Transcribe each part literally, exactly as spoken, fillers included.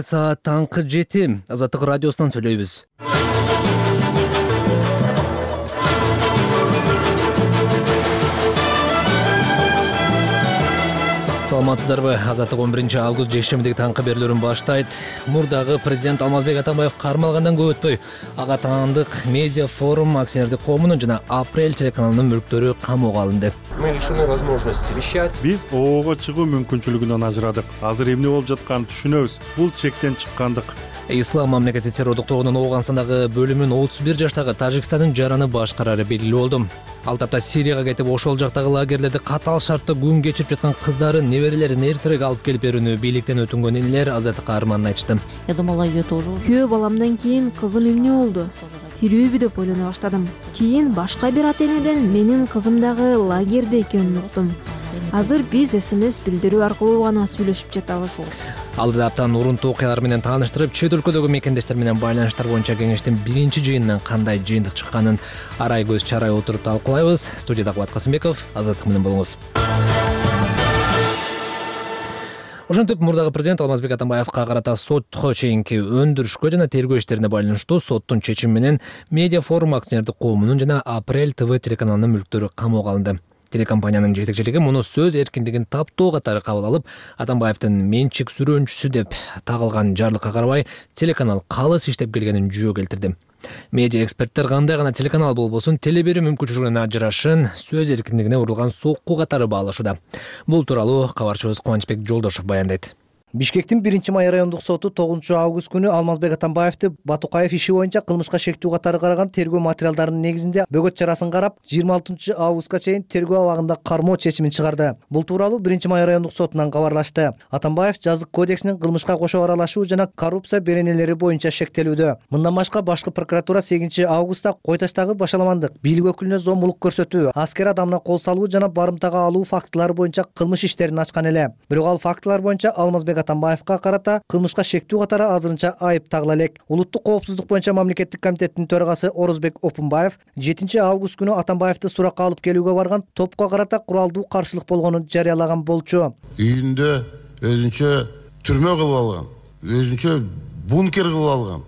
Саат таңкы жети. Азаттык радиосунан сүйлөйбүз. Саламатсыздарбы? Азаттык он биринчи август жекшембидеги таңкы берүүлөрүн баштайт. Мурдагы президент Алмазбек Атамбаев кармалгандан көп өтпөй ага таандык медиа форум акционердик коомунун жана Апрель телеканалынын мүлктөрү камоого алынды. Мы лишены возможности вещать. Биз ООго чыгуу мүмкүнчүлүгүнөн ажырадык. Азыр эмне болуп жатканын түшүнөбүз. Бул чектен чыккандык. Ислам мамлекети террордук тобунун Ооганстандагы бөлүмүнүн отуз бир жаштагы Тажикстандын жараны башкарары белгилүү болду. Ал тапта Сирияга кетип, ошол жактагы лагерлерде катаал шартта күн кечирип жаткан кыздарын, неберелерин эртерээк алып келип берүүнү бийликтен өтүнгөн энелер Азаттыкка арманын айтышты. Я думала, ее тоже. Күйөө баламдан кийин кызым эмне болду? Тирүүбү деп ойлоно баштадым. Кийин башка бир ата энеден менин кызым дагы лагерде экенин уктум. Азыр биз СМС билдирүү аркылуу гана сүйлөшүп жатабыз. Алды аптан урунтуу окуялар менен тааныштырып, чет өлкөдөгү мекендештер менен байланыштар боюнча кеңештин биринчи жыйынынан кандай жыйынтык чыкканын арай көз чарай отуруп талкуулайбыз. Студияда Кубат Касымбеков, Азаттык менен болуңуз. Ошентип, мурдагы президент Алмазбек Атамбаевка карата сотко чейинки өндүрүшкө жана тергөө иштерине байланыштуу соттун чечими менен Медиа форум акционердик коомунун жана Апрель ТВ телеканалынын мүлктөрү камоого алынды. Телекомпаниянын жетекчилиги муну сөз эркиндигин таптоо катары кабыл алып, Атамбаевдин менчик сүрөөнчүсү деп тагылган жарлыкка карабай телеканал калыс иштеп келгенин жөө келтирди. Медиа эксперттер кандай гана телеканал болбосун теле берүү мүмкүнчүлүгүнүн ажырашын сөз эркиндигине урулган сокку катары баалашууда. Бул тууралуу кабарчыбыз Кубанычбек Жолдошов баяндайт. Бишкектин биринчи май райондук соту тогузунчу август күнү Алмазбек Атамбаевди Батукаев иши боюнча кылмышка шектүү катары караган тергөө материалдарынын негизинде бөгөт чарасын карап, жыйырма алтынчы августка чейин тергөө абагында кармоо чечимин чыгарды. Бул тууралуу биринчи май райондук сотунан кабарлашты. Атамбаев жазык кодексинин кылмышка кошо аралашуу жана коррупция беренелери боюнча шектелүүдө. Мындан башка башкы прокуратура сегизинчи августта Кой Таштагы башаламандык, бийлик өкүлүнө зомбулук көрсөтүү, аскер адамына кол салуу жана барымтага алуу фактылары боюнча кылмыш иштерин ачкан эле. Бирок ал фактылар боюнча Алмазбек Атамбаевка карата кылмышка шектүү катары азырынча айып тагыла элек. Улуттук коопсуздук боюнча мамлекеттик комитеттин төрагасы Орозбек Опунбаев жетинчи август күнү Атамбаевди суракка алып келүүгө барган топко карата куралдуу каршылык болгонун жарыялаган болчу. Үйүндө өзүнчө түрмө кылып алган, өзүнчө бункер кылып алган.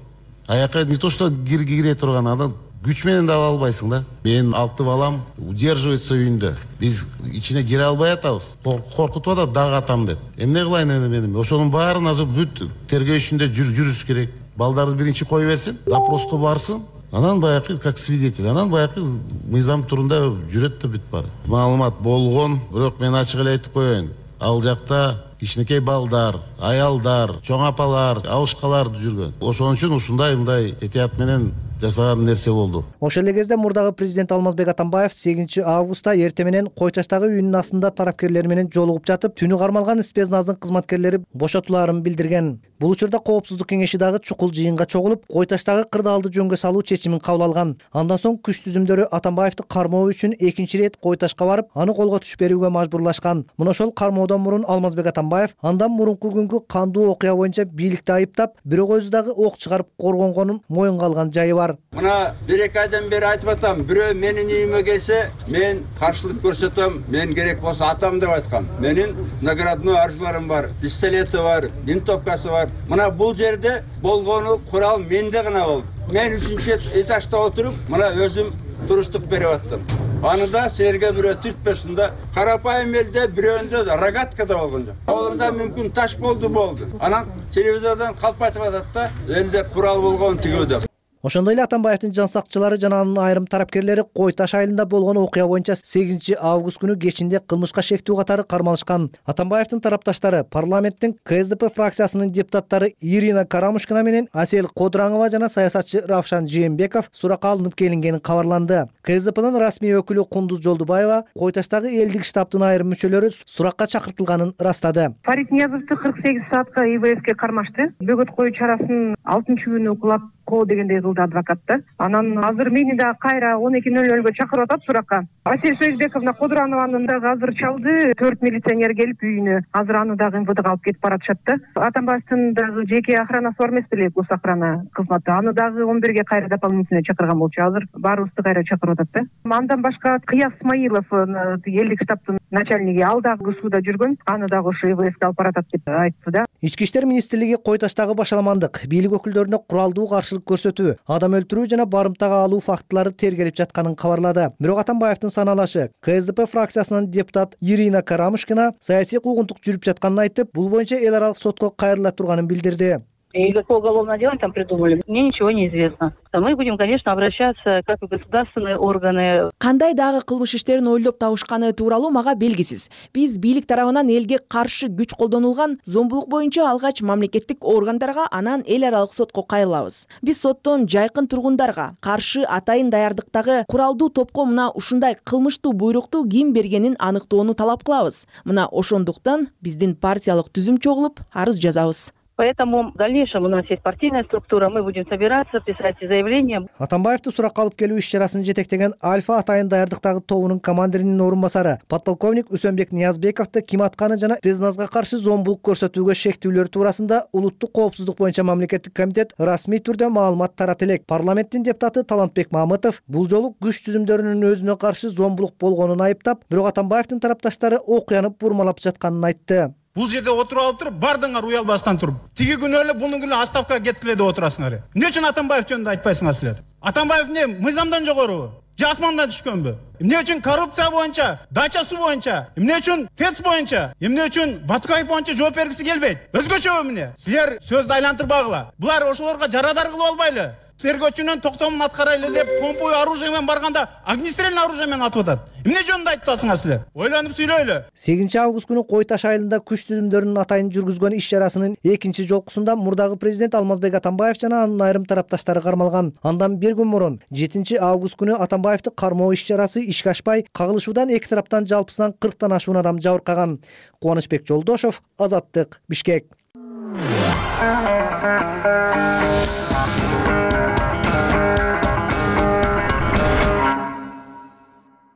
Аяка не то что кире турган адам күч менен да ала албайсың да. Мен алты балам удерживается үйүндө. Биз ичине кире албай атабыз. Коркутуп атат дагы атам деп. Эмне кылайын мен? Ошонун баарын азыр бүт тергөө ишинде жүрүш керек. Балдарды биринчи кой берсин, допроско барсын. Анан баягы как свидетель, анан баягы мыйзам турунда жүрөт да бүт баары. Маалымат болгон, бирок мен ачык эле айтып коеюн. Ал жакта кичинекей балдар, аялдар, чоң апалар, абышкалар жүргөн. Ошон үчүн ушундай мындай этият менен жасаган нерсе болду. Ошол эле кезде мурдагы президент Алмазбек Атамбаев сегизинчи августта эртең менен Кой Таштагы үйүнүн астында тарапкерлер менен жолугуп жатып, түнү кармалган спецназдын кызматкерлери бошотулаарын билдирген. Бул учурда коопсуздук кеңеши дагы чукул жыйынга чогулуп, Кой Таштагы кырдаалды жөнгө салуу чечимин кабыл алган. Андан соң күч түзүмдөрү Атамбаевди кармоо үчүн экинчи ирет Кой Ташка барып, аны колго түш берүүгө мажбурлашкан. Мына ошол кармоодон мурун Алмазбек Атамбаев андан мурунку күнгү кандуу окуя боюнча бийликти айыптап, бирок өзү дагы ок чыгарып коргонгонун моюнга алган жайы бар. Мына бир эки айдан бери айтып атам, бирөө менин үйүмө келсе, мен каршылык көрсөтөм, мен керек болсо атам деп айткам. Менин наградной оружиелерим бар, пистолети бар, винтовкасы бар. Мына бул жерде болгону курал менде гана болду. Мен үчүнчү этажда отуруп, мына өзүм туруштук берип аттым. Аны да силерге бирөө түртпөсүн да. Карапайым элде бирөөндө рогатка да болгон жок. Колунда мүмкүн таш болду болду. Анан телевизордон калп айтып атат да, элде курал болгон тигүү деп. Ошондой эле Атамбаевдин жан сакчылары жана анын айрым тарапкерлери Кой Таш айылында болгон окуя боюнча сегизинчи август күнү кечинде кылмышка шектүү катары кармалышкан. Атамбаевдин тарапташтары парламенттин КСДП фракциясынын депутаттары Ирина Карамушкина менен Асель Кодыраңова жана саясатчы Равшан Жээнбеков суракка алынып келингени кабарланды. КСДПнын расмий өкүлү Кундуз Жолдубаева Кой Таштагы элдик штабтын айрым мүчөлөрү суракка чакыртылганын ырастады. Фарид Ниязовду кырк сегиз саатка И В Фке кармашты. Бөгөт коюу чарасын алтынчы күнү кулап коо дегендей кылды адвокат да. Анан азыр мени да кайра он эки нөл нөлгө чакырып атат суракка. Асель Союзбековна Кудуранованы дагы азыр чалды, төрт милиционер келип үйүнө. Азыр аны дагы эм вэ дэга алып кетип баратышат да. Атамбаевдин дагы жеке охранасы бар эмес беле, гос охрана кызматы. Аны дагы он бирге кайра дополнительно чакырган болчу. Азыр баарыбызды кайра чакырып атат да. Андан башка Кыяз Исмаилов, элдик штабтын начальниги, ал дагы ГСУда жүргөн. Аны дагы ошо э вэ эске алып баратат деп айтты да. Ички иштер министрлиги Кой Таштагы башаламандык, бийлик өкүлдөрүнө куралдуу каршылык көрсөтүү, адам өлтүрүү жана барымтага алуу фактылары тергелип жатканын кабарлады. Бирок Атамбаевдин саналашы Ка Эс Дэ Пэ фракциясынын депутат Ирина Карамушкина саясий куугунтук жүрүп жатканын айтып, бул боюнча эл аралык сотко кайрыла турганын билдирди. И какое уголовное дело там придумали, мне ничего не известно. Мы будем, конечно, обращаться как и государственные органы. Кандай дагы кылмыш иштерин ойлоп табышканы тууралуу мага белгисиз. Биз бийлик тарабынан элге каршы күч колдонулган зомбулук боюнча алгач мамлекеттик органдарга, анан эл аралык сотко кайрылабыз. Биз соттон жайкын тургундарга каршы атайын даярдыктагы куралдуу топко мына ушундай кылмыштуу буйрукту ким бергенин аныктоону талап кылабыз. Мына ошондуктан биздин партиялык түзүм чогулуп арыз жазабыз. Поэтому в дальнейшем у нас есть партийная структура, мы будем собираться, писать заявления. Атамбаевди суракка алып келүү иш-чарасын жетектеген Альфа атайын даярдыктагы тобунун командиринин орун басары подполковник Үсөнбек Ниязбековду ким атканы жана Презназга каршы зомбулук көрсөтүүгө шектүүлөр туурасында улуттук коопсуздук боюнча мамлекеттик комитет расмий түрдө маалымат тарата элек. Парламенттин депутаты Талантбек Мамытов бул жолу күч түзүмдөрүнүн өзүнө каршы зомбулук болгонун айыптап, бирок Атамбаевдин тарапташтары окуяны бурмалап жатканын айтты. Бул жерде отуруп алып туруп, бардыңар уялбастан туруп. Тиги күнү эле бунун күнү отставкага кеткиле деп отурасыңар. Эмне үчүн Атамбаев жөнүндө айтпайсыңар силер? Атамбаев эмне, мыйзамдан жогорубу? Же асмандан түшкөнбү? Эмне үчүн коррупция боюнча, дача суу боюнча, эмне үчүн ТЭЦ боюнча, эмне үчүн Батукаев боюнча жооп бергиси келбейт? Өзгөчөбү эмне? Силер сөздү айлантырбагыла. Булар ошолорго жарадар кылып албайлы. Тергөөчүнүн токтомун аткарайлы деп помповый оружие менен барганда огнестрельный оружие менен атып атат. Эмне жөнүндө айтып атасыңар силер? Ойлонуп сүйлөйлү. сегизинчи август күнү Кой Таш айылында күч түзүмдөрүнүн атайын жүргүзгөн иш-чарасынын экинчи жолкусунда мурдагы президент Алмазбек Атамбаев жана анын айрым тарапташтары кармалган. Андан бир күн мурун жетинчи август күнү Атамбаевди кармоо иш-чарасы ишке ашпай, кагылышуудан эки тараптан жалпысынан кырктан ашуун адам жабыркаган. Кубанычбек Жолдошов, Азаттык, Бишкек.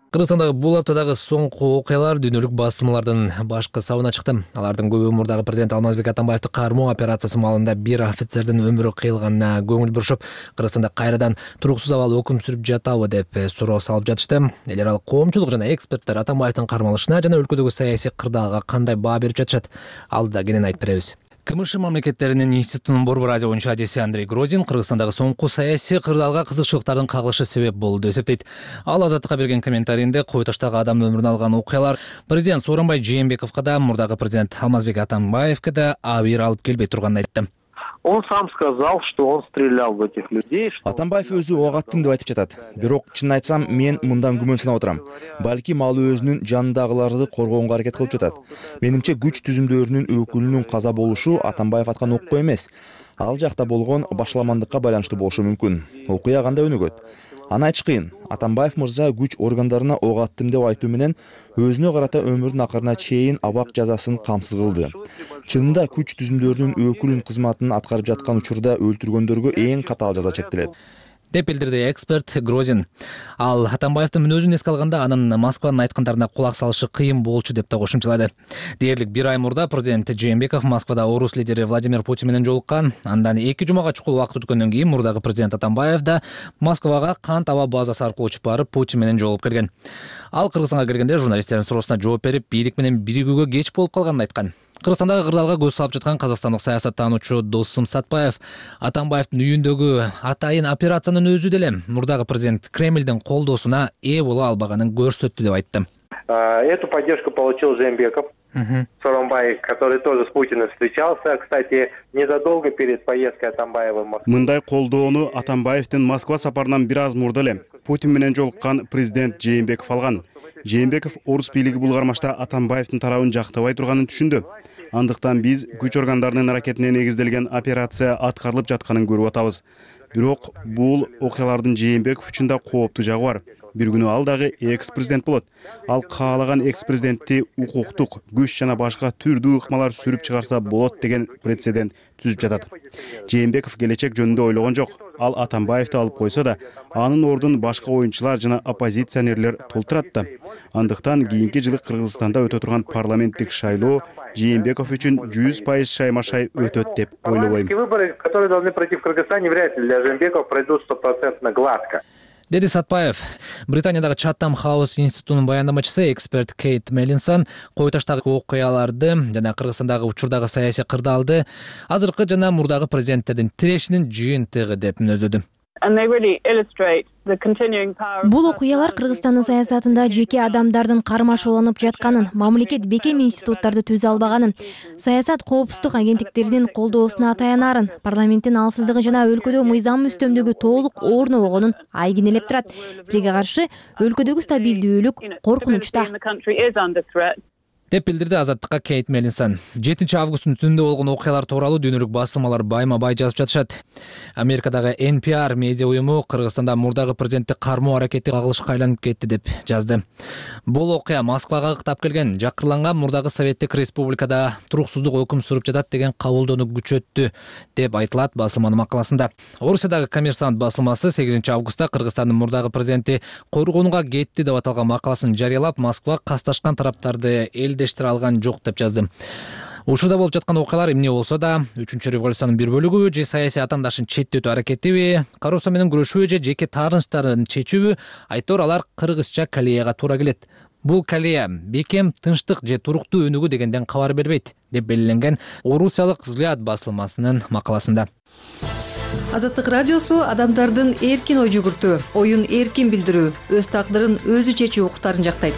Кыргызстандагы бул аптадагы соңку окуялар дүйнөлүк басылмалардын башкы сабына чыкты. Алардын көбү мурдагы президент Алмазбек Атамбаевди кармоо операциясы маалында бир офицердин өмүрү кыйылганына көңүл бурушуп, Кыргызстанда кайрадан туруксуз абал өкүм сүрүп жатабы деп суроо салып жатышты. Эл аралык коомчулук жана эксперттер Атамбаевдин кармалышына жана өлкөдөгү саясий кырдаалга кандай баа берип жатышат? Алдыда кенен айтып беребиз. КМШ мамлекеттеринин институтунун борбор радио боюнча адиси Андрей Грозин Кыргызстандагы соңку саясий кырдаалга кызыкчылыктардын кагылышы себеп болду деп эсептейт. Ал Азаттыкка берген комментарийинде Кой Таштагы адам өмүрүн алган окуялар президент Сооронбай Жээнбековго да, мурдагы президент Алмазбек Атамбаевге да абийир алып келбей турганын айтты. Он сам сказал, что он стрелял в этих людей. Атамбаев өзү ок аттым деп айтып жатат. Бирок чынын айтсам, мен мындан күмөнсүнүп отурам. Балким ал өзүнүн жанындагыларды коргоонго аракет кылып жатат. Менимче күч түзүмдөрүнүн өкүлүнүн каза болушу Атамбаев аткан окко эмес. Ал жакта болгон башаламандыкка байланыштуу болушу мүмкүн. Окуя кандай өнүгөт? Аны айтыш кыйын. Атамбаев мырза күч органдарына ок аттым деп айтуу менен өзүнө карата өмүрдүн акырына чейин абак жазасын камсыз кылды. Чынында күч түзүмдөрүнүн өкүлүн кызматын аткарып жаткан учурда өлтүргөндөргө эң катаал жаза чектелет деп билдирди эксперт Грозин. Ал Атамбаевдин мүнөзүн эске алганда анын Москванын айткандарына кулак салышы кыйын болчу деп да кошумчалады. Дээрлик бир ай мурда президент Жээнбеков Москвада орус лидери Владимир Путин менен жолуккан. Андан эки жумага чукул убакыт өткөндөн кийин мурдагы президент Атамбаев да Москвага кант аба базасы аркылуу учуп барып Путин менен жолугуп келген. Ал Кыргызстанга келгенде журналисттердин суроосуна жооп берип, бийлик менен биригүүгө кеч болуп калганын айткан. Кыргызстандагы кырдаалга көз салып жаткан казакстандык саясаттануучу Досум Сатпаев Атамбаевдин үйүндөгү атайын операциянын өзү деле мурдагы президент Кремлдин колдоосуна ээ боло албаганын көрсөттү деп айтты. Эту поддержку получил Жээнбеков, Сооронбай, который тоже с Путиным встречался, кстати, незадолго перед поездкой Атамбаева в Москву. Мындай колдоону Атамбаевдин Москва сапарынан бир аз мурда эле Путин менен жолуккан президент Жээнбеков алган. Жээнбеков орус бийлиги бул кармашта Атамбаевдин тарабын жактабай турганын түшүндү. Андыктан биз күч органдарынын аракетине негизделген операция аткарылып жатканын көрүп атабыз. Бирок бул окуялардын Жээнбеков үчүн да кооптуу жагы бар. Бир күнү ал дагы экс-президент болот. Ал каалаган экс-президентти укуктук, күч жана башка түрдүү ыкмалар сүрүп чыгарса болот деген прецедент түзүп жатат. Жээнбеков келечек жөнүндө ойлогон жок. ал Атамбаевди алып койсо да, анын ордун башка оюнчулар жана оппозиционерлер толтурат да. Андыктан кийинки жылы Кыргызстанда өтө турган парламенттик шайлоо Жээнбеков үчүн жүз пайыз шайма-шай өтөт деп ойлобойм. Выборы, которые должны пройти в Кыргызстане, вряд ли для Жээнбекова пройдут стопроцентно гладко. Деди Сатпаев. Британиядагы Чаттам Хаус институтунун баяндамачысы эксперт Кейт Меллинсон кой таштагы окуяларды жана Кыргызстандагы учурдагы саясий кырдаалды азыркы жана мурдагы президенттердин тирешинин жыйынтыгы деп мүнөздөдү. Бул окуялар Кыргызстандын саясатында жеке адамдардын кармашууланып жатканын, мамлекет бекем институттарды түзө албаганын, саясат коопсуздук агенттиктеринин колдоосуна таянарын, парламенттин алсыздыгы жана өлкөдө мыйзам үстөмдүгү толук орнобогонун айгинелеп турат. Тилге каршы, өлкөдөгү стабилдүүлүк коркунучта деп билдирди Азаттыкка Кейт Меллинсон. жетинчи августтун түнүндө болгон окуялар тууралуу дүйнөлүк басылмалар байма-бай жазып жатышат. Америкадагы Эн Пи Ар медиа уюму Кыргызстанда мурдагы президентти кармоо аракети кагылышка айланып кетти деп жазды. Бул окуя Москвага ыктап келген, жакырланган мурдагы Советтик Республикада туруксуздук өкүм сүрүп жатат деген кабылдоону күчөттү деп айтылат басылманын макаласында. Орусиядагы Коммерсант басылмасы сегизинчи августта Кыргызстандын мурдагы президенти койгонуга кетти деп аталган макаласын жарыялап, Москва касташкан тараптарды эл дештире алган жок деп жазды. Учурда болуп жаткан окуялар эмне болсо да, үчүнчү революциянын бир бөлүгүбү же саясий атаандашын четтетүү аракетиби, коррупция менен күрөшүүбү же жеке таарынычтарын чечүүбү, айтор алар кыргызча калеяга туура келет. Бул калея бекем, тынчтык же туруктуу өнүгүү дегенден кабар бербейт деп белгиленген Орусиялык Взгляд басылмасынын макаласында. Азаттык радиосу адамдардын эркин ой жүгүртүү, оюн эркин билдирүү, өз тагдырын өзү чечүү укуктарын жактайт.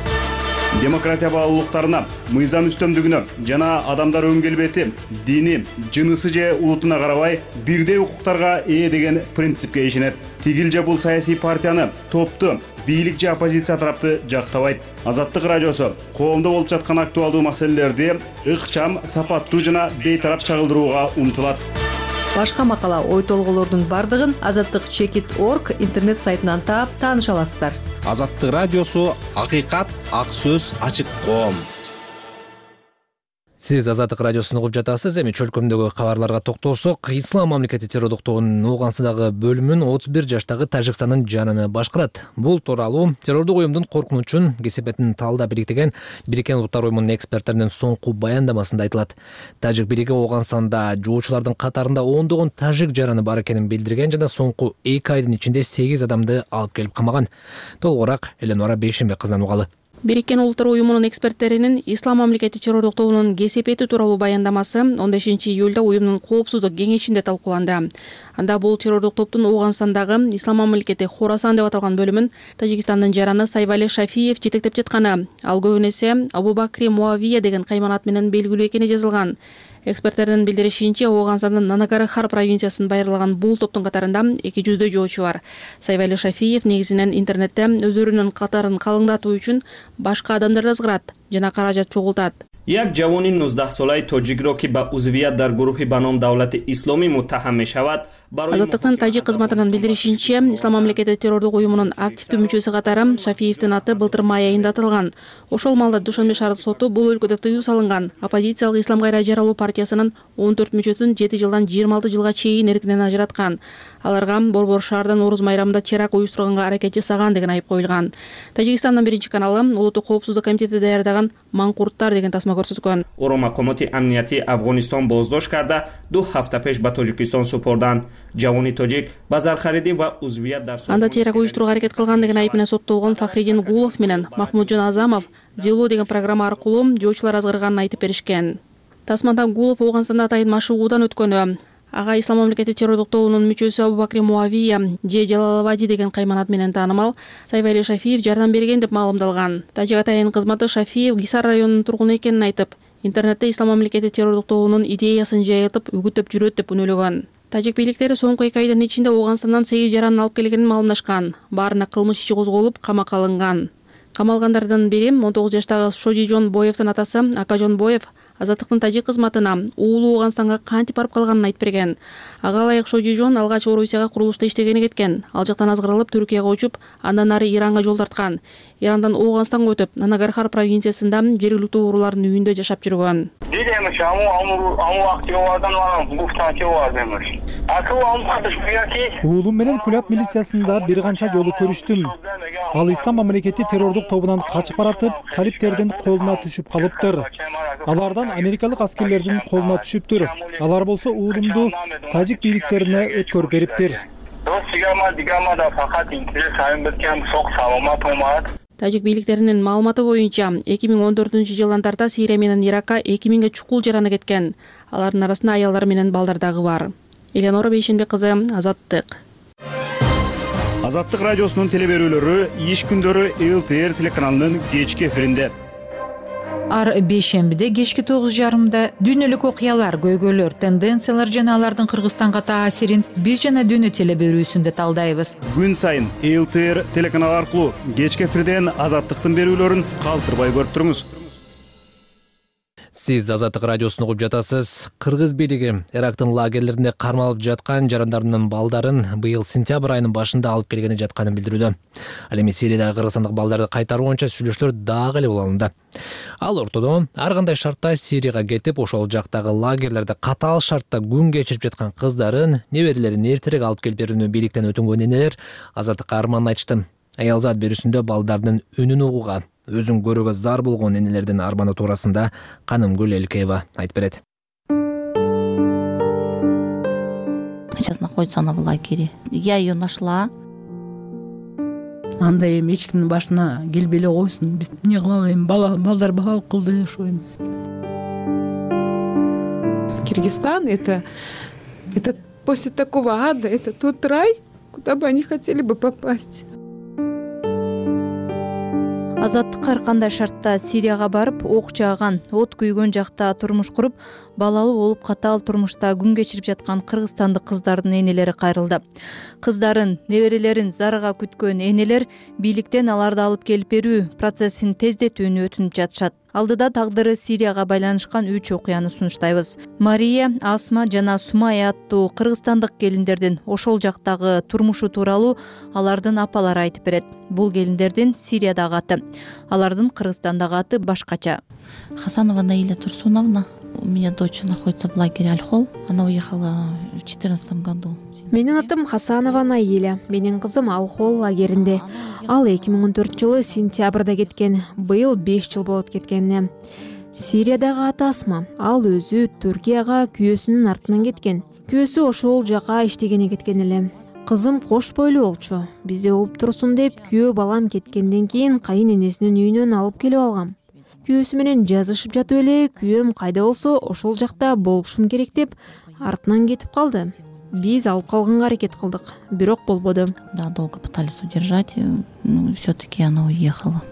Демократия баалуулуктарына, мыйзам үстөмдүгүнө жана адамдар өн келбети, дини, жынысы же улутуна карабай бирдей укуктарга ээ деген принципке ишенет. Тигил же бул саясий партияны, топту, бийлик же оппозиция тарапты жактабайт. Азаттык радиосу коомдо болуп жаткан актуалдуу маселелерди ыкчам, сапаттуу жана бейтарап чагылдырууга умтулат. Башка макала, ой толголордун бардыгын азаттык чекит точка орг интернет сайтынан таап тааныша аласыздар. Азаттык радиосу акыйкат, ак сөз, ачык коом. Сиз Азаттык радиосун угуп жатасыз. Эми чөлкөмдөгү кабарларга токтолсок, Ислам мамлекети террордуктугунун Ооганстандагы бөлүмүн отуз бир жаштагы Тажикстандын жаныны башкарат. Бул тууралуу террордук уюмдун коркунучун, кесепетин талдап бириктеген Бириккен Улуттар уюмунун эксперттеринин соңку баяндамасында айтылат. Тажик бириги Ооганстанда жоочулардын катарында ондогон тажик жараны бар экенин билдирген жана соңку эки айдын ичинде сегиз адамды алып келип камаган. Толугураак Эленора Бейшенбек кызынан угалы. Бириккен Улуттар уюмунун эксперттеринин Ислам мамлекети террордук тобунун кесепети тууралуу баяндамасы он бешинчи июлда уюмдун коопсуздук кеңешинде талкууланды. Анда бул террордук топтун Ооганстандагы Ислам мамлекети Хорасан деп аталган бөлүмүн Тажикстандын жараны Сайвали Шафиев жетектеп жатканы, ал көбүн эсе Абу Бакри Муавия деген кайманат менен белгилүү экени жазылган. Эксперттердин билдиришинче, Ооганстандын Нанагархар провинциясын байырлаган бул топтун катарында эки жүздөй жоочу бар. Сайвали Шафиев негизинен интернетте өздөрүнүн катарын калыңдатуу үчүн башка адамдарды ызгырат жана каражат чогултат. як ҷавони нуздаҳсолаи тоҷикро ки ба узвият дар гурӯҳи ба ном давлати исломӣ муттаҳам мешавад, Азаттыктын тажик кызматынын билдиришинче, Ислам мамлекети террордук уюмунун активдүү мүчөсү катары Шафиевдин аты былтыр май айында аталган. Ошол малда Душанбе шаардык соту бул өлкөдө тыюу салынган оппозициялык Ислам кайра жаралуу партиясынын он төрт мүчөсүн жети жылдан жыйырма алты жылга чейин эркинен ажыраткан. Аларга Борбор шаарда Нооруз майрамында теракт уюштурганга аракет жасаган деген айып коюлган. Тажикстандын биринчи каналы Улуттук коопсуздук комитети даярдаган Маңкурттар деген тасма көрсөткөн. Оро мақомоти амнияти Афғонистон боздошт карда ду ҳафта пеш ба Тоҷикистон супурдан. Ҷавони тоҷик ба зархариди ва узвият дар анда теракт уюштурууга аракет кылган деген айып менен соттолгон Фахриддин Гулов менен Махмуджон Азамов Зело деген программа аркылуу жоочулар азгырганын айтып беришкен. Тасмада Гулов Ооганстанда атайын машыгуудан өткөнү, ага Ислам мамлекети террордук тобунун мүчөсү Абу Бакри Муавия же Жалалабади деген кайманат менен таанымал Сайвали Шафиев жардам берген деп маалымдалган. Тажик атайын кызматы Шафиев Гисар районунун тургуну экенин айтып, интернетте Ислам мамлекети террордук тобунун идеясын жайылтып, үгүттөп жүрөт деп үнөлөгөн. Тажик бийликтери соңку эки айдын ичинде Ооганстандан сегиз жаранын алып келгенин маалымдашкан. Баарына кылмыш иши козголуп, камакка алынган. Камалгандардын бири он тогуз жаштагы Шоди Жон Боевдин атасы Акажон Боев Азаттыктын тажик кызматына уулу Ооганстанга кантип барып калганын айтып берген. Ага ылайык Шоди Жон алгач Орусияга курулушта иштегени кеткен. Ал жактан азгырылып Түркияга учуп, андан ары Иранга жол тарткан. Ирандан Ооганстанга өтүп, Нанагархар провинциясында жергиликтүү уруулардын үйүндө жашап жүргөн. уулум менен Кулап милициясында бир канча жолу көрүштүм. Ал Ислам мамлекети террордук тобунан качып баратып, талиптердин колуна түшүп калыптыр. Алардан америкалык аскерлердин колуна түшүптүр. Алар болсо уулумду тажик бийликтерине өткөрүп бериптир. Тажик бийликтеринин маалыматы боюнча эки миң он төртүнчү жылдарда Сирия менен Иракка эки миңге чукул жараны кеткен. Алардын арасында аялдар менен балдар дагы бар. Эленора Бейшенбек кызы, Азаттык. Азаттык радиосунун телеберүүлөрү иш күндөрү эл тэ эр телеканалынын кечки эфиринде. Ар бейшембиде кечки тогуз жарымда дүйнөлүк окуялар, көйгөйлөр, тенденциялар жана алардын Кыргызстанга таасирин биз жана дүйнө телеберүүсүндө талдайбыз. Күн сайын эл тэ эр телеканалы аркылуу кечки эфирден Азаттыктын берүүлөрүн калтырбай көрүп туруңуз. Сиз Азаттык радиосун угуп жатасыз. Кыргыз бийлиги Ирактын лагерлеринде кармалып жаткан жарандарынын балдарын быйыл сентябрь айынын башында алып келгени жатканын билдирүүдө. Ал эми Сириядагы кыргызстандык балдарды кайтаруу боюнча сүйлөшүүлөр дагы эле уланды. Ал ортодо ар кандай шартта Сирияга кетип, ошол жактагы лагерлерде катаал шартта күн кечирип жаткан кыздарын, неберелерин эртерээк алып келип берүүнү бийликтен өтүнгөн энелер Азаттыкка арманын айтышты. Аялзат берүүсүндө балдардын үнүн угууга, өзүн көрүүгө зар болгон энелердин арманы туурасында Канымгүл Элкеева айтып берет. Сейчас находится она в лагере. Я ее нашла. Андай эми эч кимдин башына келбей эле койсун. Биз эмне кылалы эми, бала балдар балалык кылды ошо эми. Киргизстан это это после такого ада, это тот рай, куда бы они хотели бы попасть. Азаттык ар кандай шартта Сирияга барып, ок жааган, от күйгөн жакта турмуш куруп, балалуу болуп катаал турмушта күн кечирип жаткан кыргызстандык кыздардын энелери кайрылды. Кыздарын, неберелерин зарыга күткөн энелер бийликтен аларды алып келип берүү процессин тездетүүнү өтүнүп жатышат. Алдыда тагдыры Сирияга байланышкан үч окуяны сунуштайбыз. Мария, Асма жана Сумая аттуу кыргызстандык келиндердин ошол жактагы турмушу тууралуу алардын апалары айтып берет. Бул келиндердин Сириядагы аты, алардын Кыргызстандагы аты башкача. Хасанова Наиля Турсуновна. У меня дочь находится в лагере Аль-Хол. Она уехала в четырнадцатом году. Менин атым Хасанова Наиля. Менин кызым Аль-Хол лагеринде. Ал эки миң он төртүнчү жылы сентябрда кеткен. Быйыл беш жыл болот кеткенине. Сириядагы аты Асма. Ал өзү Түркияга күйөөсүнүн артынан кеткен. Күйөөсү ошол жака иштегени кеткен эле. Кызым кош бойлуу болчу. Бизде болуп турсун деп күйөө балам кеткенден кийин кайын энесинин үйүнөн алып келип алгам. Күйөөсү менен жазышып жатып эле күйөөм кайда болсо ошол жакта болушум керек деп артынан кетип калды. Биз алып калганга аракет кылдык, бирок болбоду. Да, долго пытались удержать, но все-таки она уехала.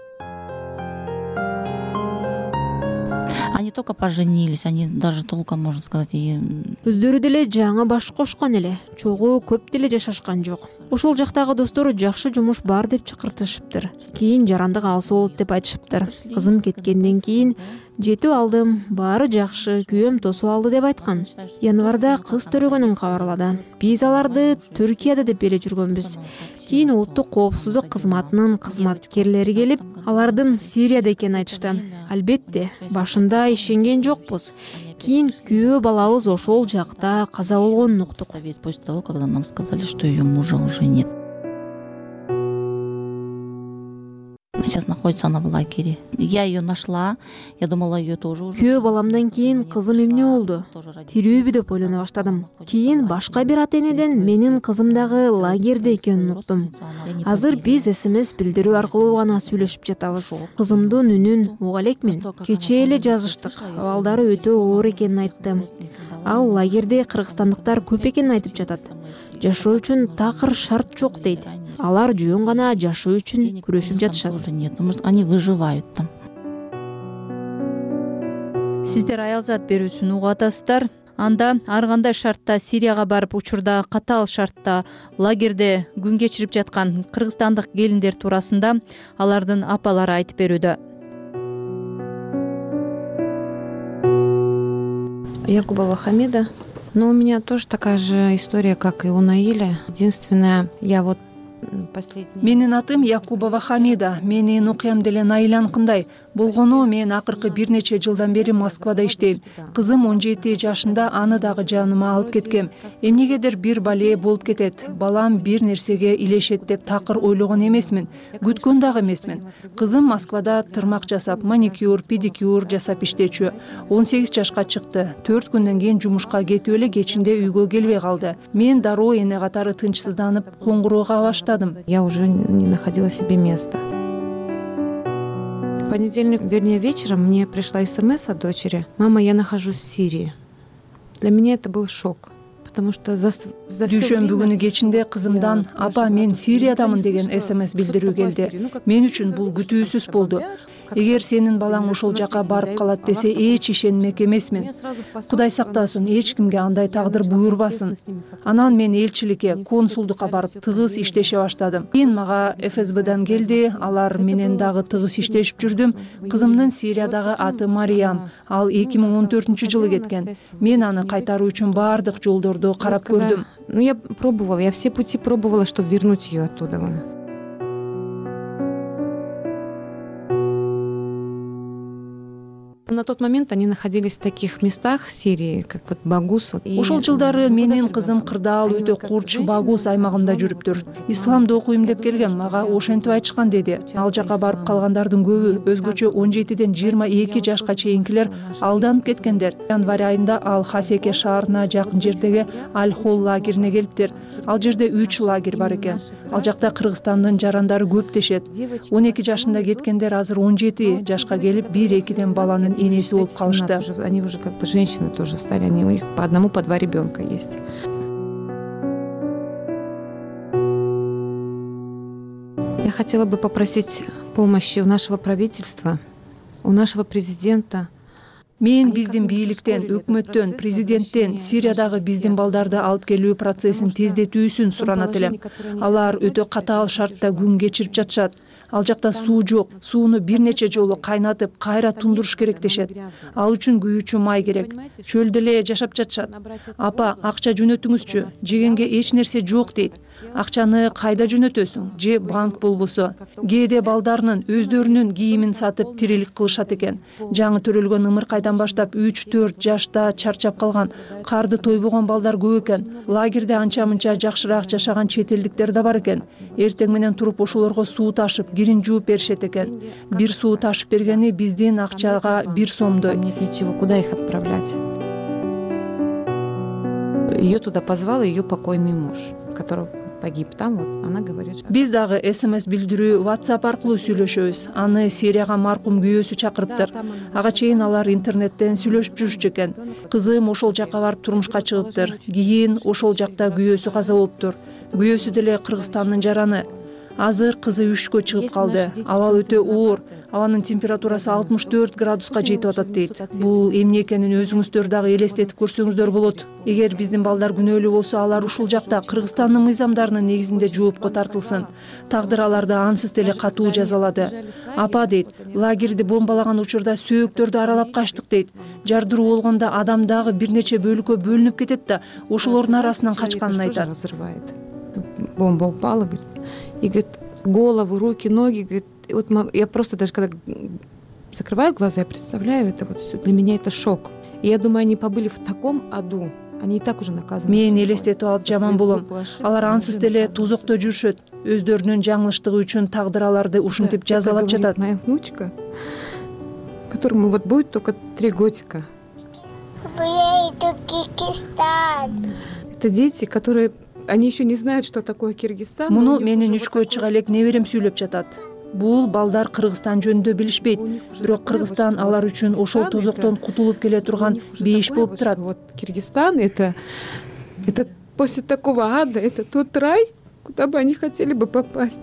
Они только поженились, они даже толком, можно сказать, и... Өздөрү деле жаңы баш кошкон эле, чогуу көп деле жашашкан жок. Ошол жактагы достору жакшы жумуш бар деп чакыртышыптыр. Кийин жарандык алса болот деп айтышыптыр. Кызым кеткенден кийин жетип алдым, баары жакшы, күйөөм тосуп алды деп айткан. Январда кыз төрөгөнүн кабарлады. Биз аларды Түркияда деп бере жүргөнбүз. Кийин улуттук коопсуздук кызматынын кызматкерлери келип, алардын Сирияда экенин айтышты. Албетте, башында ишенген жокпуз. Кийин күйөө балабыз ошол жакта каза болгонун уктук. После того, когда нам сказали, что ее мужа уже нет. Сейчас находится она в лагере. Я ее нашла. Я думала, ее тоже уже. Күйөө баламдан кийин кызым эмне болду? Тирүүбү деп ойлоно баштадым. Кийин башка бир ата энеден менин кызым дагы лагерде экенин уктум. Азыр биз смс билдирүү аркылуу гана сүйлөшүп жатабыз. Кызымдын үнүн уга элекмин. Кечээ эле жазыштык. Абалдары өтө оор экенин айтты. Ал лагерде кыргызстандыктар көп экенин айтып жатат. Жашоо үчүн такыр шарт жок дейт. Алар жөн гана жашоо үчүн күрөшүп жатышат. Они выживают там. Сиздер аялзат берүүсүн угуп атасыздар. Анда ар кандай шартта Сирияга барып, учурда катаал шартта лагерде күн кечирип жаткан кыргызстандык келиндер туурасында алардын апалары айтып берүүдө. Якубова Хамида. Но у меня тоже такая же история, как и у Наиля. Единственное, я вот Менин атым Якубова Хамида. Менин окуям деле Найланкындай. Болгону мен акыркы бир нече жылдан бери Москвада иштейм. Кызым он жети жашында, аны дагы жаныма алып кеткем. Эмнегедир бир бале болуп кетет. Балам бир нерсеге илешет деп такыр ойлогон эмесмин. Күткөн дагы эмесмин. Кызым Москвада тырмак жасап, маникюр, педикюр жасап иштечү. он сегиз жашка чыкты. төрт күндөн кийин жумушка кетип эле кечинде үйгө келбей калды. Мен дароо эне катары тынчсызданып, коңгуроога баштадым. Я уже не находила себе места. В понедельник, вернее, вечером мне пришла смс от дочери. Мама, я нахожусь в Сирии. Для меня это был шок. Дүйшөмбү күнү кечинде кызымдан апа мен Сириядамын деген смс билдирүү келди. Мен үчүн бул күтүүсүз болду. Эгер сенин балаң ошол жака барып калат десе эч ишенмек эмесмин. Кудай сактасын, эч кимге андай тагдыр буйрбасын. Анан мен элчиликке, консулдукка барып тыгыз иштеше баштадым. Кийин мага эф эс бдан келди, алар менен дагы тыгыз иштешип жүрдүм. Кызымдын Сириядагы аты Мариям. Ал эки миң он төртүнчү жылы кеткен. Мен аны кайтаруу үчүн баардык жолдорду карап көрдүм. Ну, я пробовала, я все пути пробовала, чтобы вернуть ее оттуда. На тот момент они находились в таких местах Сирии, как вот Багус. Ошол жылдары менин кызым кырдаал өтө курч Багус аймагында жүрүптүр. Исламды окуйм деп келгем, мага ошентип айтышкан деди. Ал жака барып калгандардын көбү өзгөчө он жетиден жыйырма эки жашка чейинкилер алданып кеткендер. Январь айында ал Хасеке шаарына жакын жердеги Аль-Хол лагерине келиптир. Ал жерде үч лагерь бар экен. Ал жакта Кыргызстандын жарандары көп дешет. он эки жашында кеткендер азыр он жети жашка келип, бир экиден баланын энеси болуп калышты. Они уже как бы женщины тоже стали, они у них по одному, по два ребенка есть. Я хотела бы попросить помощи у нашего правительства, у нашего президента. Мен биздин бийликтен, өкмөттөн, президенттен Сириядагы биздин балдарды алып келүү процессин тездетүүсүн суранат элем. Алар өтө катаал шартта күн кечирип жатышат. Ал жакта суу жок. Сууну бир нече жолу кайнатып, кайра тундуруш керек дешет. Ал үчүн күйүүчү май керек. Чөлдө эле жашап жатышат. Апа, акча жөнөтүңүзчү. Жегенге эч нерсе жок дейт. Акчаны кайда жөнөтөсүң? Же банк болбосо. Кээде балдарынын өздөрүнүн кийимин сатып тирилик кылышат экен. Жаңы төрөлгөн ымыркайдан баштап үч төрт жашта чарчап калган, карды тойбогон балдар көп экен. Лагерде анча-мынча жакшыраак жашаган чет элдиктер да бар экен. Эртең менен туруп ошолорго суу ташып, кирин жууп беришет экен. Бир суу ташып бергени биздин акчага бир сомдой. Нет ничего, куда их отправлять? Ее туда позвал ее покойный муж, который погиб там, вот она говорит, что... Биз дагы смс билдирүү, WhatsApp аркылуу сүйлөшөбүз. Аны Сирияга маркум күйөөсү чакырыптыр. Ага чейин алар интернеттен сүйлөшүп жүрүшчү экен. Кызым ошол жака барып турмушка чыгыптыр. Кийин ошол жакта күйөөсү каза болуптур. Күйөөсү деле Кыргызстандын жараны. Азыр кызы үшкө чыгып калды. Абал өтө оор. Абанын температурасы алтымыш төрт градуска жетип атат дейт. Бул эмне экенин өзүңүздөр дагы элестетип көрсөңүздөр болот. Эгер биздин балдар күнөөлүү болсо, алар ушул жакта Кыргызстандын мыйзамдарынын негизинде жоопко тартылсын. Тагдыр аларды ансыз деле катуу жазалады. Апа дейт, лагерди бомбалаган учурда сөөктөрдү аралап качтык дейт. Жардыруу болгондо адам дагы бир нече бөлүккө бөлүнүп кетет да, ошолордун арасынан качканын айтат. Бомба упала, говорит, и говорит, головы, руки, ноги, говорит, вот я просто даже когда закрываю глаза, я представляю это вот все, для меня это шок. И я думаю, они побыли в таком аду, они и так уже наказаны. Мен элестетип алып жаман болом. Алар ансыз деле тузокто жүрүшөт. Өздөрүнүн жаңылыштыгы үчүн тагдыр аларды ушинтип жазалап жатат. Моя внучка, которому вот будет только три годика. Это дети, которые они еще не знают, что такое Киргизстан. Муну менин үчкө чыга элек неберем сүйлөп жатат. Бул балдар Кыргызстан жөнүндө билишпейт. Бирок Кыргызстан алар үчүн ошол тозоктон кутулуп келе турган бейиш болуп турат. Вот Киргизстан это это после такого ада, это тот рай, куда бы они хотели бы попасть.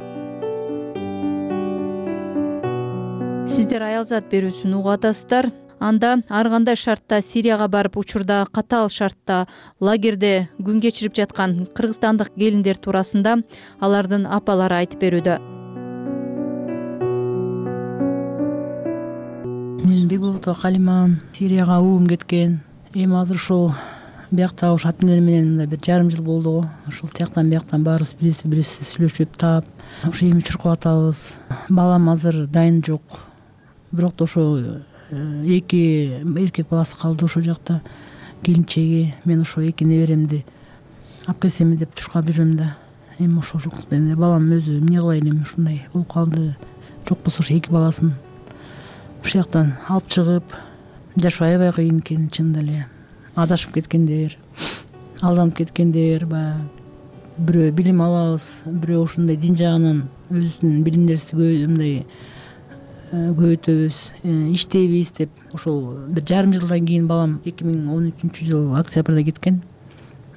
Сиздер Аялзат берүүсүн угуп атасыздар. Анда ар кандай шартта Сирияга барып, учурда катаал шартта лагерде күн кечирип жаткан кыргызстандык келиндер туурасында алардын апалары айтып берүүдө. Мен Бекболотова Калиман, Сирияга уулум кеткен. Эми азыр ошол биякта ушу ата энелер менен мындай бир жарым жыл болду го. Ошол тияктан бияктан баарыбыз бирибизди бирибиз сүйлөшүп таап ошо эми чуркап атабыз. Балам азыр дайын жок. Бирок да ошо эки эркек баласы калды ошол жакта. Келинчеги, мен ошо эки неберемди алып келсеми деп чуркап жүрөм да. Эми ошо жок. Балам өзү эмне кылайын эми ушундай болуп калды. Жок болсо ошо эки баласын ушул жактан алып чыгып жашоо аябай кыйын экен чынында эле. Адашып кеткендер, алданып кеткендер, баягы бирөө билим алабыз, бирөө ушундай дин жагынан өзүнүн билимдерибизди мындай көбөйтөбүз, иштейбиз деп ошол бир жарым жылдан кийин балам эки миң он үчүнчү жыл октябрда кеткен.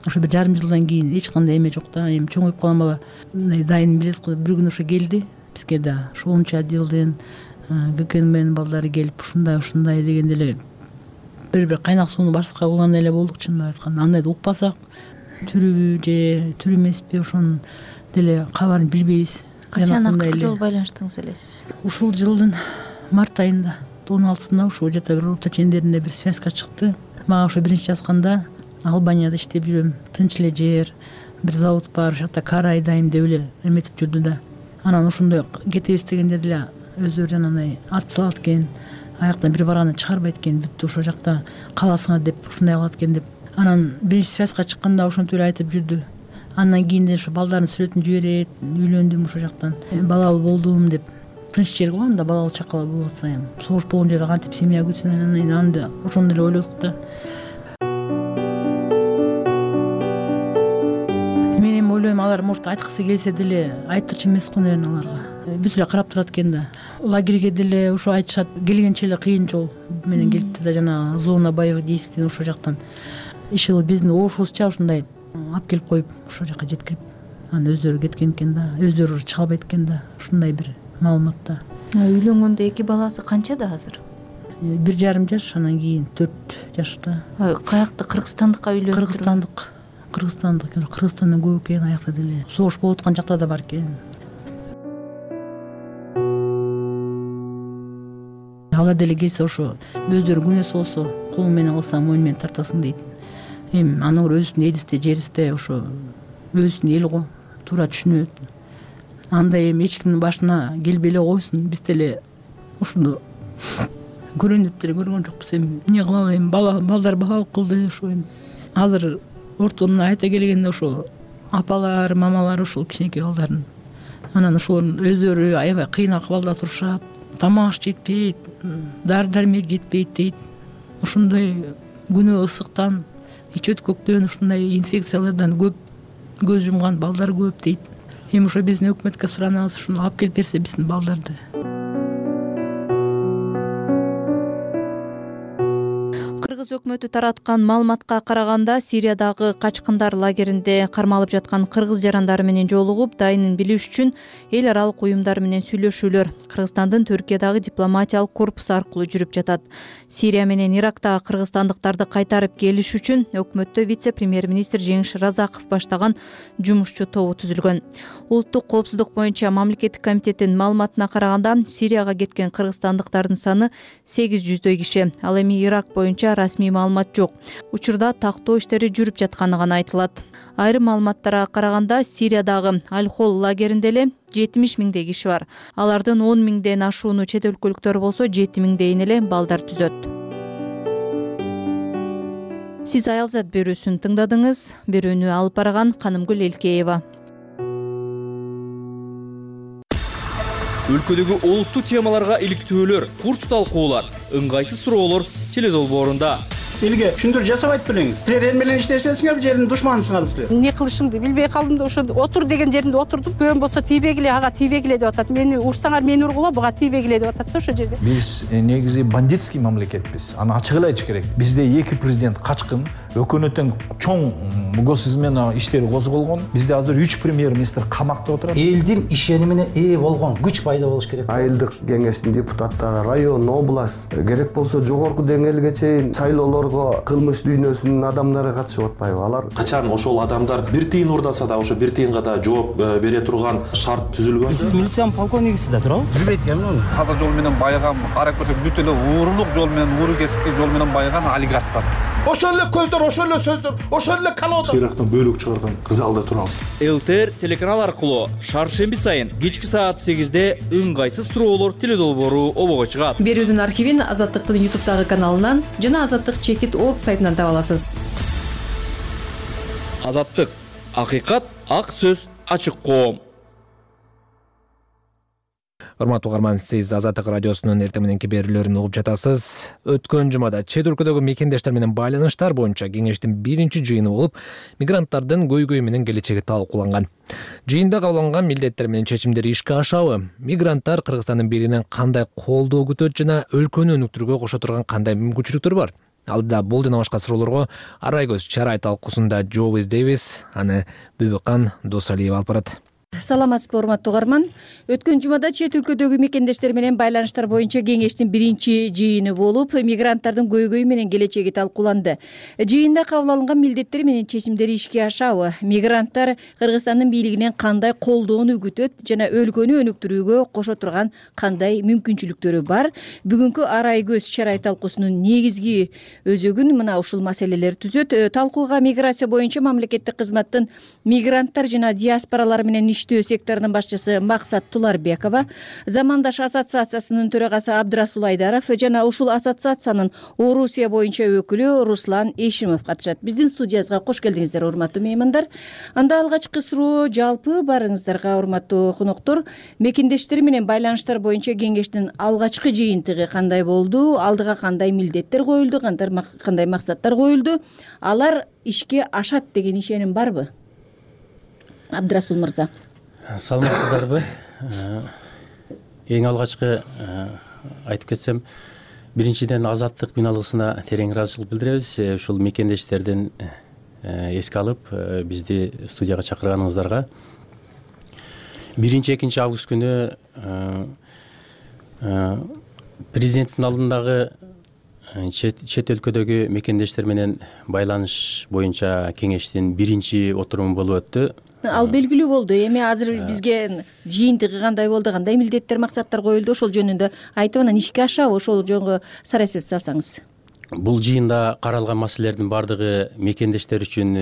Ошо бир жарым жылдан кийин эч кандай эме жок да. Эми чоңоюп калган бала мындай дайын билет го. Бир күнү ошо келди бизге да. Ошо онунчу отделден ГКНБнын балдары келип ушундай ушундай дегенде эле бир бир кайнак сууну башка кылгандай эле болдук чынын айтканда. Андайды укпасак түрүбү же түрү эмеспи ошонун деле кабарын билбейбиз. Качан акыркы жолу байланыштыңыз эле сиз? Ушул жылдын март айында он алтысында ушул жата бир орто чендеринде бир связка чыкты. Мага ошо биринчи жазганда Албанияда иштеп жүрөм, тынч эле жер, бир завод бар, ошол жакта кар айдайм деп эле эметип жүрдү да. Анан ошондой кетебиз дегенде деле өздөрү жанагындай атып салат экен. Аяктан бир барганда чыгарбайт экен, бүттү ошол жакта каласыңар деп ушундай кылат экен деп. Анан биринчи связка чыкканда ошентип эле айтып жүрдү. Андан кийин ошо балдардын сүрөтүн жиберет, үйлөндүм ошол жактан. Балалуу болдум деп. Тынч жер го анда балалуу чакала болуп атса эми. Согуш болгон жерде кантип семья күтсүн, анан анда ошондой эле ойлодук да. Мен эми ойлойм, алар может айткысы келсе деле айттырчу эмес го, наверное, аларга. Бүт эле карап турат экен да. Лагерге деле ошо айтышат, келгенче эле кыйын жол менен келипти да, жана зона боевых действий ошол жактан. Иши биздин обушубузча ушундай алып келип коюп ошол жака жеткирип, анан өздөрү кеткен экен да, өздөрү чыга албайт экен да. Ушундай бир маалымат да. Үйлөнгөндө эки баласы канчада азыр? Бир жарым жаш, анан кийин төрт жашта. Каякта, Кыргызстандыкка үйлөнүп? Кыргызстандык. Кыргызстандык. Кыргызстандан көп экен, аякта деле. Согуш болуп аткан жакта да бар экен. Алар деле келсе ошо өздөрү күнөөсү болсо колуң менен кылсаң мойнун менен тартасың дейт. Эми анын өзүнүн элисте жеристе ошо өзүнүн эл го, туура түшүнөт. Андай эми эч кимдин башына келбей эле койсун, биз деле ушуну көрөнүп деле көргөн жокпуз. Эми эмне кыла алайм, бала балдар балалык кылды ошо. Эми азыр ортомдон айта келгенде ошо апалар, мамалар ушул кичинекей балдардын. Анан ошолордун өздөрү аябай кыйын акыбалда турушат. Тамак жетпейт, дары-дармек жетпейт дейт. Ушундай күнөө ысыктан, ич өткөктөн ушундай инфекциялардан көп көз жумган балдар көп дейт. Эми ошо биздин өкмөткө суранабыз, ушуну алып келип берсе биздин балдарды. Кыргыз өкмөтү тараткан маалыматка караганда, Сириядагы качкындар лагеринде кармалып жаткан кыргыз жарандары менен жолугуп, дайынын билиш үчүн эл аралык уюмдар менен сүйлөшүүлөр Кыргызстандын Түркиядагы дипломатиялык корпусу аркылуу жүрүп жатат. Сирия менен Ирактагы кыргызстандыктарды кайтарып келиш үчүн өкмөттө вице-премьер-министр Жеңиш Разаков баштаган жумушчу тобу түзүлгөн. Улуттук коопсуздук боюнча мамлекеттик комитеттин маалыматына караганда, Сирияга кеткен кыргызстандыктардын саны сегиз жүздөй киши. Ал эми Ирак боюнча расмий маалымат жок. Учурда тактоо иштери жүрүп жатканы гана айтылат. Айрым маалыматтарга караганда, Сириядагы Аль-Хол лагеринде эле жетимиш миңдей киши бар. Алардын он миңден ашууну чет өлкөлүктөр болсо, жети миңдейин эле балдар түзөт. Сиз Аялзат берүүсүн тыңдадыңыз. Берүүнү алып барган Канымгүл Элкеева. Өлкөдөгү олуттуу темаларга иликтөөлөр, курч талкуулар, ыңгайсыз суроолор теледолбоорунда. Элге түшүндүрүү жасабайт белеңиз. Силер эл менен иштешесиңер, жердин душманысыңарбы силер? Эмне кылышымды билбей калдым да, ошо отур деген жеринде отурдум. Көөм болсо тийбегиле, ага тийбегиле деп атат. Мени урсаңар мени ургула, буга тийбегиле деп атат да ошо жерде. Биз негизи бандитский мамлекетпиз. Аны ачык эле айтыш керек. Бизде эки президент качкын, өкмөттөн чоң госизмена иштери козголгон. Бизде азыр үч премьер-министр камакта отурат. Элдин ишенимине ээ болгон күч пайда болуш керек. Айылдык кеңештин депутаттары, район, область, керек болсо жогорку деңгээлге чейин шайлоолорго кылмыш дүйнөсүнүн адамдары катышып атпайбы? Алар качан ошол адамдар бир тыйын урдаса да ошо бир тыйынга да жооп бере турган шарт түзүлгөн. Сиз милициянын полковнигисиз да туурабы? Билбейт экенмин. Таза жол менен байыган, карап көрсөк бүт эле уурулук жол менен, ууру кесипки жол менен байыган олигархтар. ошол эле көздөр, ошол эле сөздөр, ошол эле колода. Ирактан бөлүк чыгарган залда турабыз. ЛТР телеканал аркылуу шаршемби сайын кечки саат сегизде ыңгайсыз суроолор теледолбоору обого чыгат. Берүүнүн архивин Азаттыктын ютубтагы каналынан жана азаттык чекит точка орг сайтынан таба аласыз. Азаттык, акыйкат, ак сөз, ачык коом. Урматтуу угарман, сиз Азаттык радиосунун эртең мененки берүүлөрүн угуп жатасыз. Өткөн жумада чет өлкөдөгү мекендештер менен байланыштар боюнча кеңештин биринчи жыйыны болуп, мигранттардын көйгөйү менен келечеги талкууланган. Жыйында кабыл алынган милдеттер менен чечимдер ишке ашабы? Мигранттар Кыргызстандын бийлигинен кандай колдоо күтөт жана өлкөнү өнүктүрүүгө кошо турган кандай мүмкүнчүлүктөр бар? Алдыда бул жана башка суроолорго Арайгөз Чарай талкуусунда жооп издейбиз. Аны Бүбүкан Досалиева алып барат. Саламатсызбы, урматтуу угарман. Өткөн жумада чет өлкөдөгү мекендештер менен байланыштар боюнча кеңештин биринчи жыйыны болуп, мигранттардын көйгөйү менен келечеги талкууланды. Жыйында кабыл алынган милдеттер менен чечимдер ишке ашабы? Мигранттар Кыргызстандын бийлигинен кандай колдоону күтөт жана өлкөнү өнүктүрүүгө кошо турган кандай мүмкүнчүлүктөрү бар? Бүгүнкү Арайгөз Чарай талкуусунун негизги өзөгүн мына ушул маселелер түзөт. Талкууга миграция боюнча мамлекеттик кызматтын мигранттар жана диаспоралар менен иштөө секторунун башчысы Максат Туларбекова, Замандаш ассоциациясынын төрагасы Абдрасул Айдаров жана ушул ассоциациянын Орусия боюнча өкүлү Руслан Эшимов катышат. Биздин студиябызга кош келдиңиздер, урматтуу меймандар. Анда алгачкы суроо жалпы барыңыздарга, урматтуу коноктор. Мекендештер менен байланыштар боюнча кеңештин алгачкы жыйынтыгы кандай болду? Алдыга кандай милдеттер коюлду? Кандай максаттар коюлду? Алар ишке ашат деген ишеним барбы? Абдрасул мырза. Саламатсыздарбы? Эң алгачкы айтып кетсем, биринчиден Азаттык күн алгысына терең ыраазычылык билдиребиз. Ушул мекендештерден эске алып, бизди студияга чакырганыңыздарга. биринчи экинчи август күнү президенттин алдындагы чет өлкөдөгү мекендештер менен байланыш боюнча кеңештин биринчи отуруму болуп өттү. Ал белгилүү болду. Эми азыр бизге жыйынтыгы кандай болду, кандай милдеттер, максаттар коюлду, ошол жөнүндө айтып анан ишке ашабы, ошол жөнүндө сара эсеп салсаңыз. Бул жыйында каралган маселелердин баардыгы мекендештер үчүн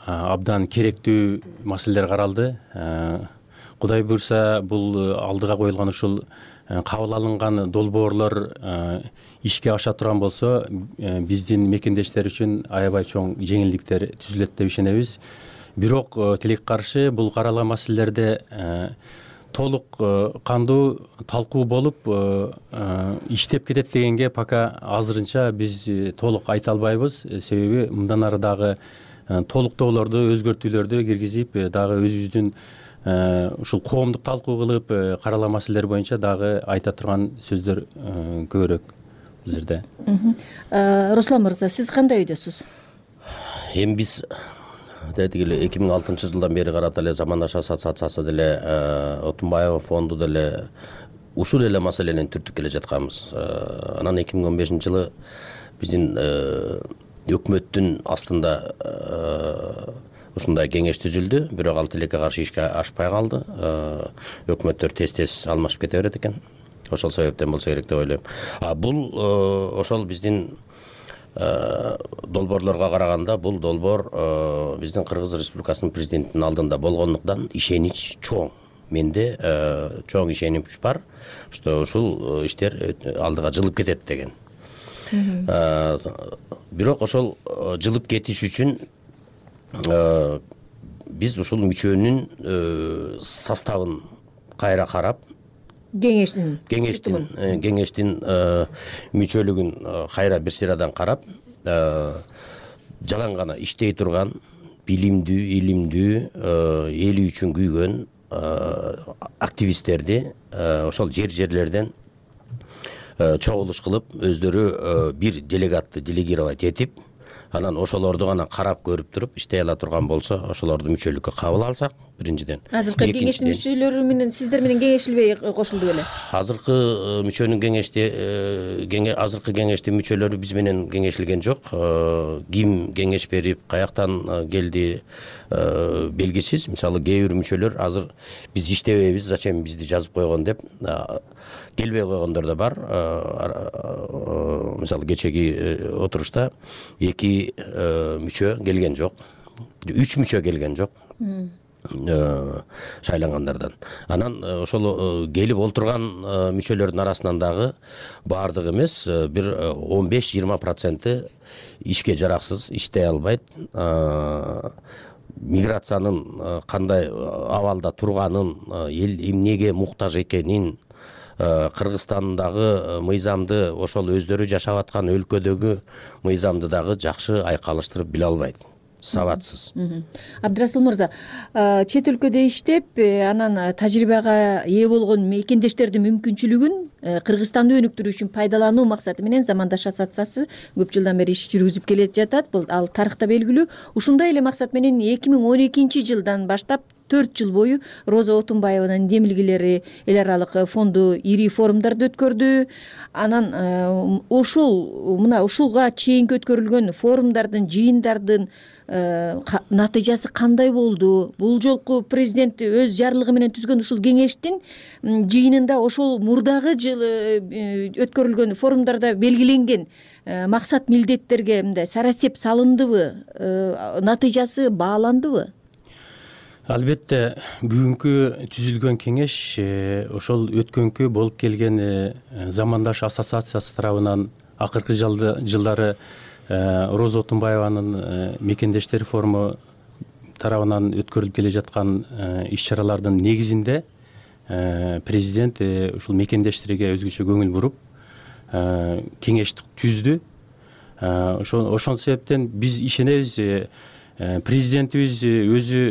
абдан керектүү маселелер каралды. Кудай буйрса, бул алдыга коюлган ушул кабыл алынган долбоорлор ишке аша турган болсо, биздин мекендештер үчүн аябай чоң жеңилдиктер түзүлөт деп ишенебиз. Бирок тилекке каршы бул каралган маселелерде толук кандуу талкуу болуп иштеп кетет дегенге пока азырынча биз толук айта албайбыз. Себеби мындан ары дагы толуктоолорду, өзгөртүүлөрдү киргизип, дагы өзүбүздүн ушул коомдук талкуу кылып, каралган маселелер боюнча дагы айта турган сөздөр көбүрөөк бул жерде. Руслан мырза, сиз кандай ойдосуз? Эми биз дегиле эки миң алтынчы жылдан бери карап эле Замандаш ассоциациясы деле, Отунбаева фонду деле ушул эле маселени түртүп келе жатканбыз. Анан эки миң он бешинчи жылы биздин өкмөттүн астында ушундай кеңеш түзүлдү, бирок ал тилекке каршы ишке ашпай калды. Өкмөттөр тез-тез алмашып кете берет экен. Ошол себептен болсо керек деп ойлойм. А бул ошол биздин долбоорлорго караганда бул долбоор биздин Кыргыз Республикасынын президентинин алдында болгондуктан ишенич чоң. Менде чоң ишенич бар, что ушул иштер алдыга жылып кетет деген. Бирок ошол жылып кетиш үчүн биз ушул мүчөнүн составын кайра карап, кеңештин кеңештин кеңештин мүчөлүгүн кайра бир сырадан карап, жалаң гана иштей турган, билимдүү, илимдүү, эли үчүн күйгөн активисттерди ошол жер-жерлерден чогулуш кылып, өздөрү бир делегатты делегировать этип, анан ошолорду гана карап көрүп туруп иштей ала турган болсо, ошолорду мүчөлүккө кабыл алсак, биринчиден. Азыркы кеңештин мүчөлөрү менен сиздер менен кеңешилбей кошулду беле? Азыркы мүчөнүн кеңешти азыркы кеңештин мүчөлөрү биз менен кеңешилген жок. Ким кеңеш берип, каяктан келди белгисиз. Мисалы кээ бир мүчөлөр азыр биз иштебейбиз, зачем бизди жазып койгон деп келбей койгондор да бар. Мисалы кечеги отурушта эки мүчө келген жок, үч мүчө келген жок шайлангандардан. Анан ошол келип олтурган мүчөлөрдүн арасынан дагы баардыгы эмес, бир он беш жыйырма проценти ишке жараксыз, иштей албайт. Миграциянын кандай абалда турганын, эл эмнеге муктаж экенин, Кыргызстандагы мыйзамды, ошол өздөрү жашап аткан өлкөдөгү мыйзамды дагы жакшы айкалыштырып биле албайт. Сабатсыз. Абдрасул мырза, чет өлкөдө иштеп, анан тажрыйбага ээ болгон мекендештердин мүмкүнчүлүгүн Кыргызстанды өнүктүрүү үчүн пайдалануу максаты менен Замандаш ассоциациясы көп жылдан бери иш жүргүзүп келе жатат. Бул ал тарыхта белгилүү. Ушундай эле максат менен эки миң он экинчи жылдан баштап төрт жыл бою Роза Отунбаеванын демилгелери эл аралык фонду ири форумдарды өткөрдү. Анан ушул мына ушулга чейинки өткөрүлгөн форумдардын, жыйындардын натыйжасы кандай болду? Бул жолку президент өз жарлыгы менен түзгөн ушул кеңештин жыйынында ошол мурдагы жылы өткөрүлгөн форумдарда белгиленген максат милдеттерге мындай сарасеп салындыбы? Натыйжасы бааландыбы? Албетте, бүгүнкү түзүлгөн кеңеш ошол өткөнкү болуп келген Замандаш ассоциациясы тарабынан акыркы жылдары Роза Отунбаеванын мекендештер форуму тарабынан өткөрүлүп келе жаткан иш-чаралардын негизинде президент ушул мекендештерге өзгөчө көңүл буруп кеңешти түздү. Ошол себептен биз ишенебиз, президентибиз өзү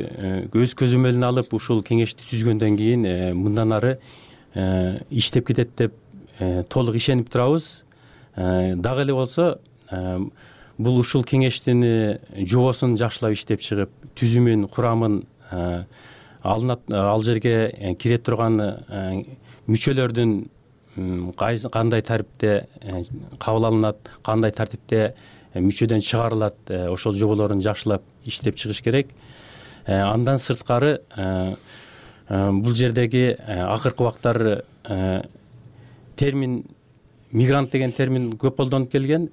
өз көзөмөлүнө алып ушул кеңешти түзгөндөн кийин мындан ары иштеп кетет деп толук ишенип турабыз. Дагы эле болсо бул ушул кеңештин жобосун жакшылап иштеп чыгып, түзүмүн, курамын, алынат ал жерге кире турган мүчөлөрдүн кандай тартипте кабыл алынат, кандай тартипте мүчөдөн чыгарылат, ошол жоболорун жакшылап иштеп чыгыш керек. Андан сырткары бул жердеги акыркы убактар термин мигрант деген термин көп колдонуп келген.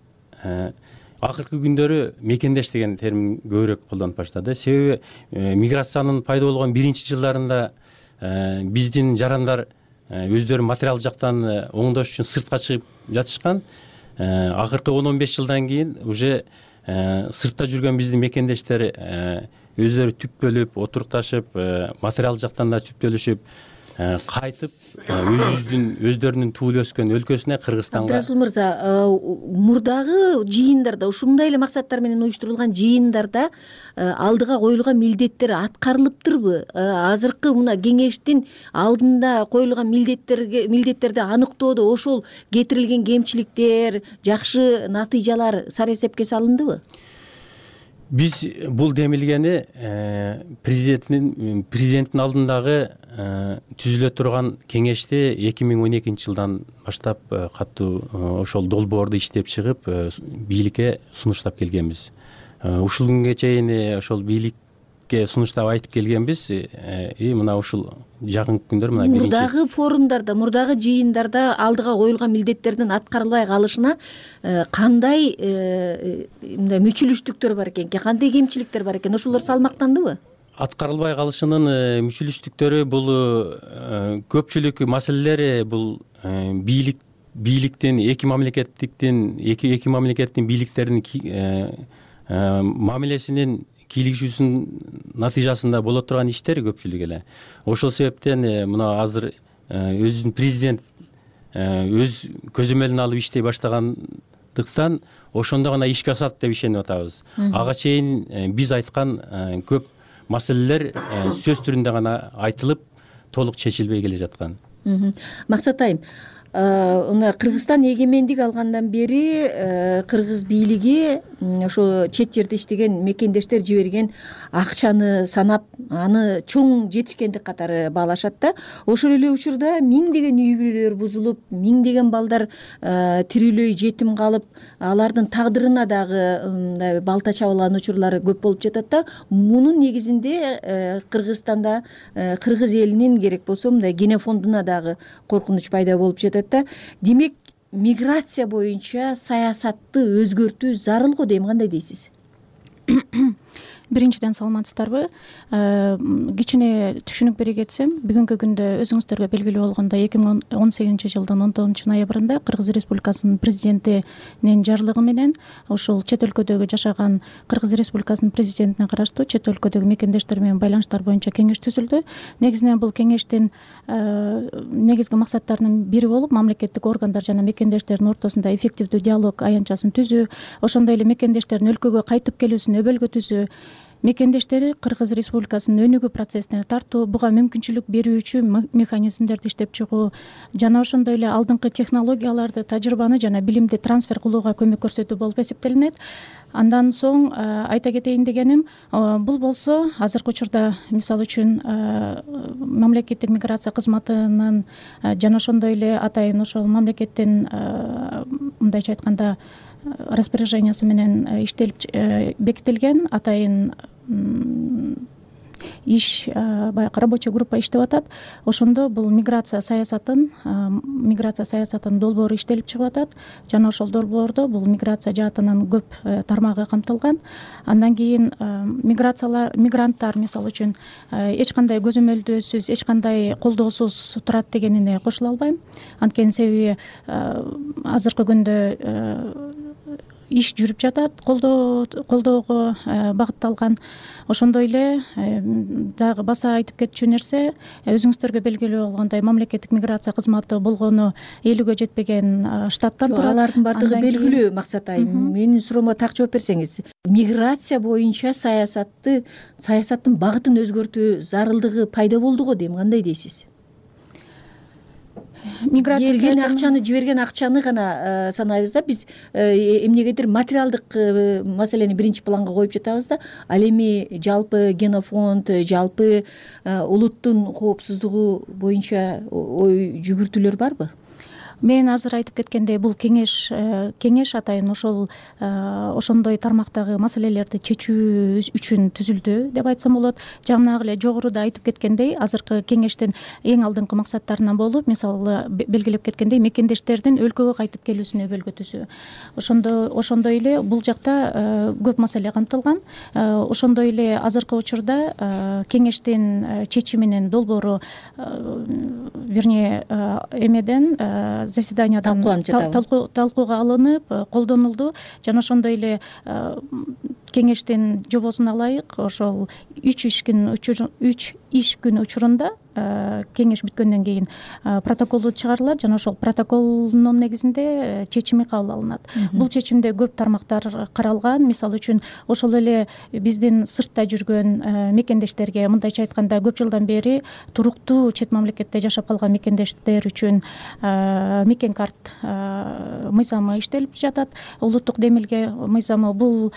Акыркы күндөрү мекендеш деген термин көбүрөөк колдонуп баштады. Себеби миграциянын пайда болгон биринчи жылдарында биздин жарандар өздөрү материал жактан оңдош үчүн сыртка чыгып жатышкан. Акыркы он он беш жылдан кийин уже сыртта жүргөн биздин мекендештер өздөрү түптөлүп, отурукташып, материал жактан да түптөлүшүп, кайтып өзүбүздүн өздөрүнүн туулуп өскөн өлкөсүнө, Кыргызстанга. Абдрасул мырза, мурдагы жыйындарда, ушундай эле максаттар менен уюштурулган жыйындарда алдыга коюлган милдеттер аткарылыптырбы? Азыркы мына кеңештин алдында коюлган милдеттерге милдеттерди аныктоодо ошол кетирилген кемчиликтер, жакшы натыйжалар сарасепке салындыбы? Биз бул демилгени президенттин президенттин алдындагы түзүлө турган кеңешти эки миң он экинчи жылдан баштап катуу ошол долбоорду иштеп чыгып бийликке сунуштап келгенбиз. Ушул күнгө чейин ошол бийликке сунуштап айтып келгенбиз. И мына ушул жакынкы күндөр мына биринчи мурдагы форумдарда, мурдагы жыйындарда алдыга коюлган милдеттердин аткарылбай калышына кандай мындай мүчүлүштүктөр бар экен, кандай кемчиликтер бар экен, ошолор салмактандыбы? Аткарылбай калышынын мүчүлүштүктөрү бул көпчүлүк маселелер бул бийлик бийликтин эки мамлекеттиктин эки эки мамлекеттин бийликтеринин мамилесинин кийлигишүүсүнүн натыйжасында боло турган иштер көпчүлүк эле. Ошол себептен мына азыр өзүнүн президент өз көзөмөлүнө алып иштей баштагандыктан ошондо гана ишке асат деп ишенип атабыз. Ага чейин биз айткан көп маселелер сөз түрүндө гана айтылып, толук чечилбей келе жаткан. Максат айым, мына Кыргызстан эгемендик алгандан бери кыргыз бийлиги ошо чет жерде иштеген мекендештер жиберген акчаны санап аны чоң жетишкендик катары баалашат да. Ошол эле учурда миңдеген үй бүлөлөр бузулуп, миңдеген балдар тирүүлөй жетим калып, алардын тагдырына дагы мындай балта чабылган учурлары көп болуп жатат да. Мунун негизинде Кыргызстанда кыргыз элинин керек болсо мындай генофондуна дагы коркунуч пайда болуп жатат да. Демек миграция боюнча саясатты өзгөртүү зарыл го дейм, кандай дейсиз? Биринчиден саламатсыздарбы? Кичине түшүнүк бере кетсем, бүгүнкү күндө өзүңүздөргө белгилүү болгондой эки миң он сегизинчи жылдын он тогузунчу ноябрында Кыргыз Республикасынын президентинин жарлыгы менен ушул чет өлкөдөгү жашаган Кыргыз Республикасынын президентине караштуу чет өлкөдөгү мекендештер менен байланыштар боюнча кеңеш түзүлдү. Негизинен бул кеңештин негизги максаттарынын бири болуп, мамлекеттик органдар жана мекендештердин ортосунда эффективдүү диалог аянтчасын түзүү, ошондой эле мекендештердин өлкөгө кайтып келүүсүн өбөлгө түзүү, мекендештери Кыргыз Республикасынын өнүгүү процессине тартуу, буга мүмкүнчүлүк берүүчү механизмдерди иштеп чыгуу жана ошондой эле алдыңкы технологияларды, тажрыйбаны жана билимди трансфер кылууга көмөк көрсөтүү болуп эсептелинет. Андан соң айта кетейин дегеним, бул болсо азыркы учурда мисалы үчүн мамлекеттик миграция кызматынын жана ошондой эле атайын ошол мамлекеттин мындайча айтканда распоряжениясы менен иштелип бекитилген атайын иш, баягы рабочий группа иштеп атат. Ошондо бул миграция саясатын миграция саясатынын долбоору иштелип чыгып атат жана ошол долбоордо бул миграция жаатынын көп тармагы камтылган. Андан кийин миграциялар мигранттар мисалы үчүн эч кандай көзөмөлдөөсүз, эч кандай колдоосуз турат дегенине кошула албайм. Анткени себеби азыркы күндө иш жүрүп жатат, колдоо колдоого багытталган. Ошондой эле дагы баса айтып кетчү нерсе, өзүңүздөргө белгилүү болгондой мамлекеттик миграция кызматы болгону элүүгө жетпеген штаттан турат. Алардын баардыгы белгилүү, Максат айым. Менин суроомо так жооп берсеңиз. Миграция боюнча саясатты, саясаттын багытын өзгөртүү зарылдыгы пайда болду го дейм, кандай дейсиз? Миграция келген акчаны, жиберген акчаны гана санайбыз да, биз эмнегедир материалдык маселени биринчи планга коюп жатабыз да. Ал эми жалпы генофонд, жалпы улуттун коопсуздугу боюнча ой жүгүртүүлөр барбы? Мен азыр айтып кеткендей, бул кеңеш кеңеш атайын ошол ошондой тармактагы маселелерди чечүү үчүн түзүлдү деп айтсам болот. Жанагы эле жогоруда айтып кеткендей, азыркы кеңештин эң алдыңкы максаттарынан болуп, мисалы белгилеп кеткендей, мекендештердин өлкөгө кайтып келүүсүн өбөлгө түзүү. Ошондо ошондой эле бул жакта көп маселе камтылган. Ошондой эле азыркы учурда кеңештин чечиминин долбоору, вернее, эмеден заседаниядан талкууга алынып, колдонулду жана ошондой эле кеңештин жобосуна ылайык ошол үч иш күн үч иш күн учурунда кеңеш бүткөндөн кийин протоколу чыгарылат жана ошол протоколдун негизинде чечими кабыл алынат. Бул чечимде көп тармактар каралган. Мисалы үчүн ошол эле биздин сыртта жүргөн мекендештерге, мындайча айтканда, көп жылдан бери туруктуу чет мамлекетте жашап калган мекендештер үчүн мекен карт мыйзамы иштелип жатат. Улуттук демилге мыйзамы бул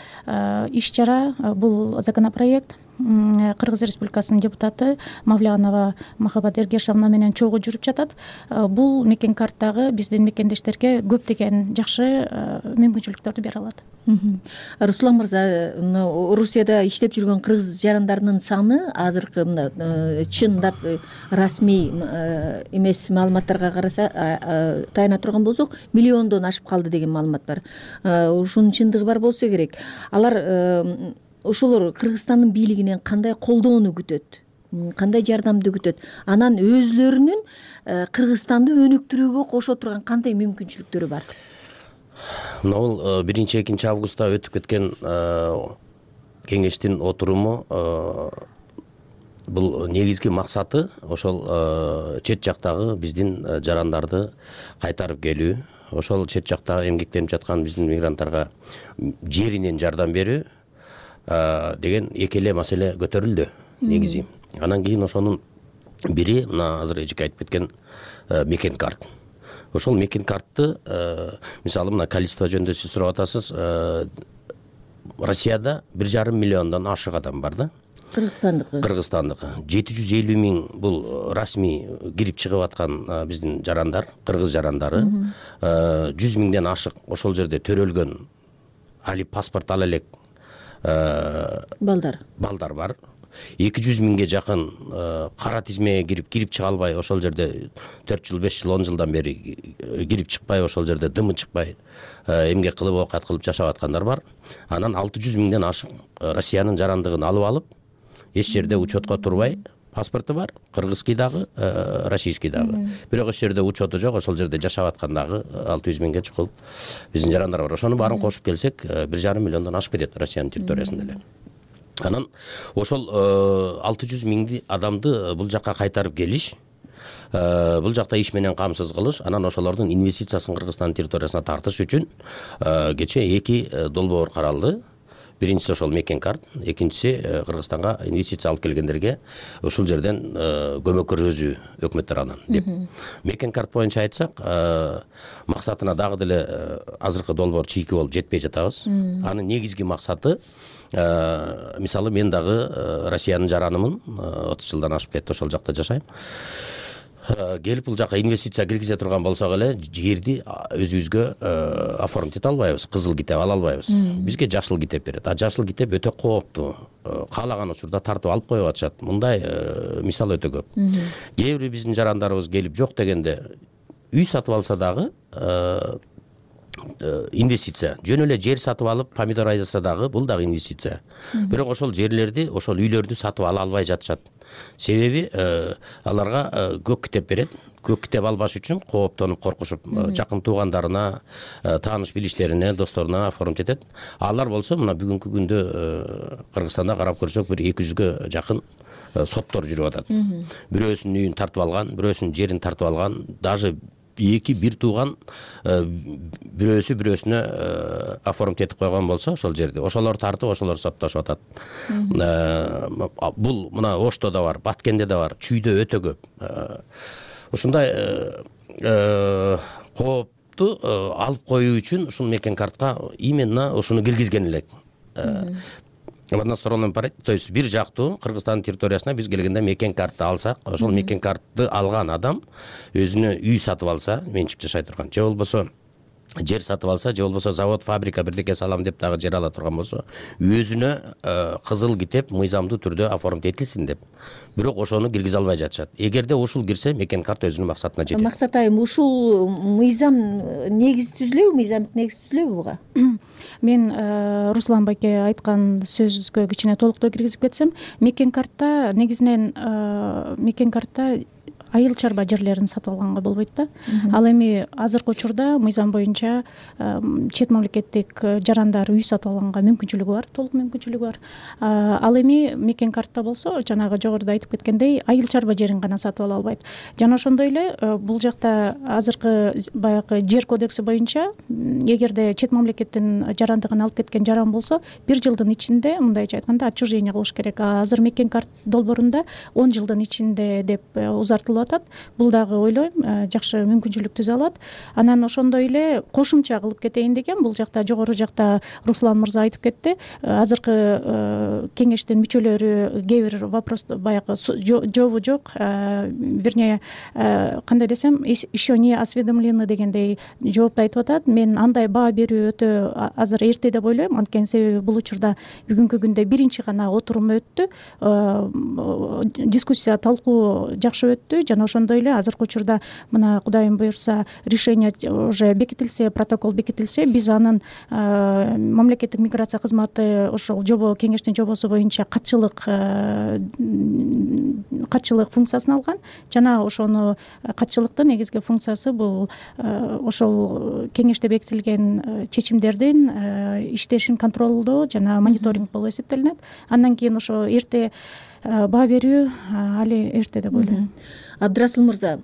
иш чара, бул законопроект Кыргыз Республикасынын депутаты Мавлянова Махабат Эргешовна менен чогуу жүрүп жатат. Бул мекен карттагы биздин мекендештерге көптөгөн жакшы мүмкүнчүлүктөрдү бере алат. Руслан мырза, Орусияда иштеп жүргөн кыргыз жарандарынын саны азыркы чындап расмий эмес маалыматтарга караса таяна турган болсок, миллиондон ашып калды деген маалымат бар. Ушунун чындыгы бар болсо керек. Алар ошолор Кыргызстандын бийлигинен кандай колдоону күтөт, кандай жардамды күтөт, анан өзлөрүнүн Кыргызстанды өнүктүрүүгө кошо турган кандай мүмкүнчүлүктөрү бар? Мына бул биринчи экинчи августта өтүп кеткен кеңештин отуруму бул негизги максаты ошол чет жактагы биздин жарандарды кайтарып келүү, ошол чет жакта эмгектенип жаткан биздин мигранттарга жеринен жардам берүү деген эки эле маселе көтөрүлдү негизи. Анан кийин ошонун бири мына азыр эжеке айтып кеткен мекен карт. Ошол мекен картты мисалы мына количество жөнүндө сиз сурап атасыз, Россияда бир жарым миллиондон ашык адам бар да. Кыргызстандыкы. Кыргызстандыкы. жети жүз элүү миң бул расмий кирип чыгып аткан биздин жарандар, кыргыз жарандары. жүз миңден ашык ошол жерде төрөлгөн али паспорт ала элек балдар. Балдар бар. эки жүз миңге жакын кара тизмеге кирип кирип чыга албай, ошол жерде төрт жыл, беш жыл, он жылдан бери кирип чыкпай, ошол жерде дымы чыкпай, эмгек кылып, оокат кылып жашап аткандар бар. Анан алты жүз миңден ашык Россиянын жарандыгын алып алып, эч жерде учетко турбай, паспорту бар, кыргызский дагы, российский дагы. Бирок эч жерде учету жок, ошол жерде жашап аткан дагы алты жүз миңге чукул биздин жарандар бар. Ошону баарын кошуп келсек, бир жарым миллиондон ашып кетет Россиянын территориясында эле. Анан ошол алты жүз миңди адамды бул жакка кайтарып келиш, бул жакта иш менен камсыз кылыш, анан ошолордун инвестициясын Кыргызстандын территориясына тартыш үчүн кече эки долбоор каралды. Биринчиси ошол мекен карт, экинчиси Кыргызстанга инвестиция алып келгендерге ушул жерден көмөк көрсөтүү өкмөт тарабынан деп. Мекен карт боюнча айтсак, максатына дагы деле азыркы долбоор чийки болуп жетпей жатабыз. Анын негизги максаты, мисалы мен дагы Россиянын жаранымын, отуз жылдан ашып кетти, ошол жакта жашайм. Келип бул жака инвестиция киргизе турган болсок эле, жерди өзүбүзгө оформить албайбыз, кызыл китеп ала албайбыз. Бизге жашыл китеп берет. А жашыл китеп өтө кооптуу. Каалаган учурда тартып алып коюп атышат. Мындай мисал өтө көп. Кээ бир биздин жарандарыбыз келип жок дегенде үй сатып алса дагы инвестиция. Жөн эле жер сатып алып помидор айдаса дагы бул дагы инвестиция. Бирок ошол жерлерди, ошол үйлөрдү сатып ала албай жатышат. Себеби аларга көк китеп берет. Көк китеп албаш үчүн кооптонуп, коркушуп, жакын туугандарына, тааныш билиштерине, досторуна оформить этет. Алар болсо мына бүгүнкү күндө Кыргызстанда карап көрсөк бир эки жүзгө жакын соттор жүрүп атат. Бирөөсүнүн үйүн тартып алган, бирөөсүнүн жерин тартып алган, даже эки бир тууган бирөөсү бирөөсүнө оформить этип койгон болсо ошол жерди, ошолор тартып, ошолор соттошуп атат. Бул мына Ошто да бар, Баткенде да бар, Чүйдө өтө көп. Ушундай коопту алып коюу үчүн ушул мекен картка именно ушуну киргизген элек. В односторонном порядке, то есть бир жактуу Кыргызстандын территориясына биз келгенде мекен картты алсак, ошол мекен картты алган адам өзүнө үй сатып алса, менчик жашай турган, же болбосо жер сатып алса, же болбосо завод, фабрика бирдеке салам деп дагы жер ала турган болсо, өзүнө кызыл китеп мыйзамдуу түрдө оформить этилсин деп. Бирок ошону киргизе албай жатышат. Эгерде ушул кирсе, мекен карт өзүнүн максатына жетет. Максат айым, ушул мыйзам негиз түзүлөбү, мыйзамдык негиз түзүлөбү буга? Мен Руслан байке айткан сөзгө кичине толуктоо киргизип кетсем, мекен картта негизинен мекен картта айыл чарба жерлерин сатып алганга болбойт да. Ал эми азыркы учурда мыйзам боюнча чет мамлекеттик жарандар үй сатып алганга мүмкүнчүлүгү бар, толук мүмкүнчүлүгү бар. Ал эми мекен картта болсо, жанагы жогоруда айтып кеткендей, айыл чарба жерин гана сатып ала албайт. Жана ошондой эле бул жакта азыркы баягы жер кодекси боюнча, эгерде чет мамлекеттин жарандыгын алып кеткен жаран болсо, бир жылдын ичинде, мындайча айтканда, отчуждение кылыш керек. Азыр мекен карт долбоорунда он жылдын ичинде деп узартылып атат. Бул дагы ойлойм жакшы мүмкүнчүлүк түзө алат. Анан ошондой эле кошумча кылып кетейин деген, бул жакта жогору жакта Руслан мырза айтып кетти. Азыркы кеңештин мүчөлөрү кээ бир вопрос баягы жообу жок, вернее, кандай десем, еще не осведомлены дегендей жоопту айтып атат. Мен андай баа берүү өтө азыр эрте деп ойлойм, анткени себеби бул учурда бүгүнкү күндө биринчи гана отурум өттү, дискуссия, талкуу жакшы өттү. Жана ошондой эле азыркы учурда мына Кудайым буйрса решение уже бекитилсе, протокол бекитилсе, биз анын мамлекеттик миграция кызматы ошол жобо, кеңештин жобосу боюнча катчылык катчылык функциясын алган. Жана ошону катчылыктын негизги функциясы бул ошол кеңеште бекитилген чечимдердин иштешин контролдоо жана мониторинг болуп эсептелинет. Андан кийин ошо эрте баа берүү али эрте деп ойлойм. Абдрасыл мырза,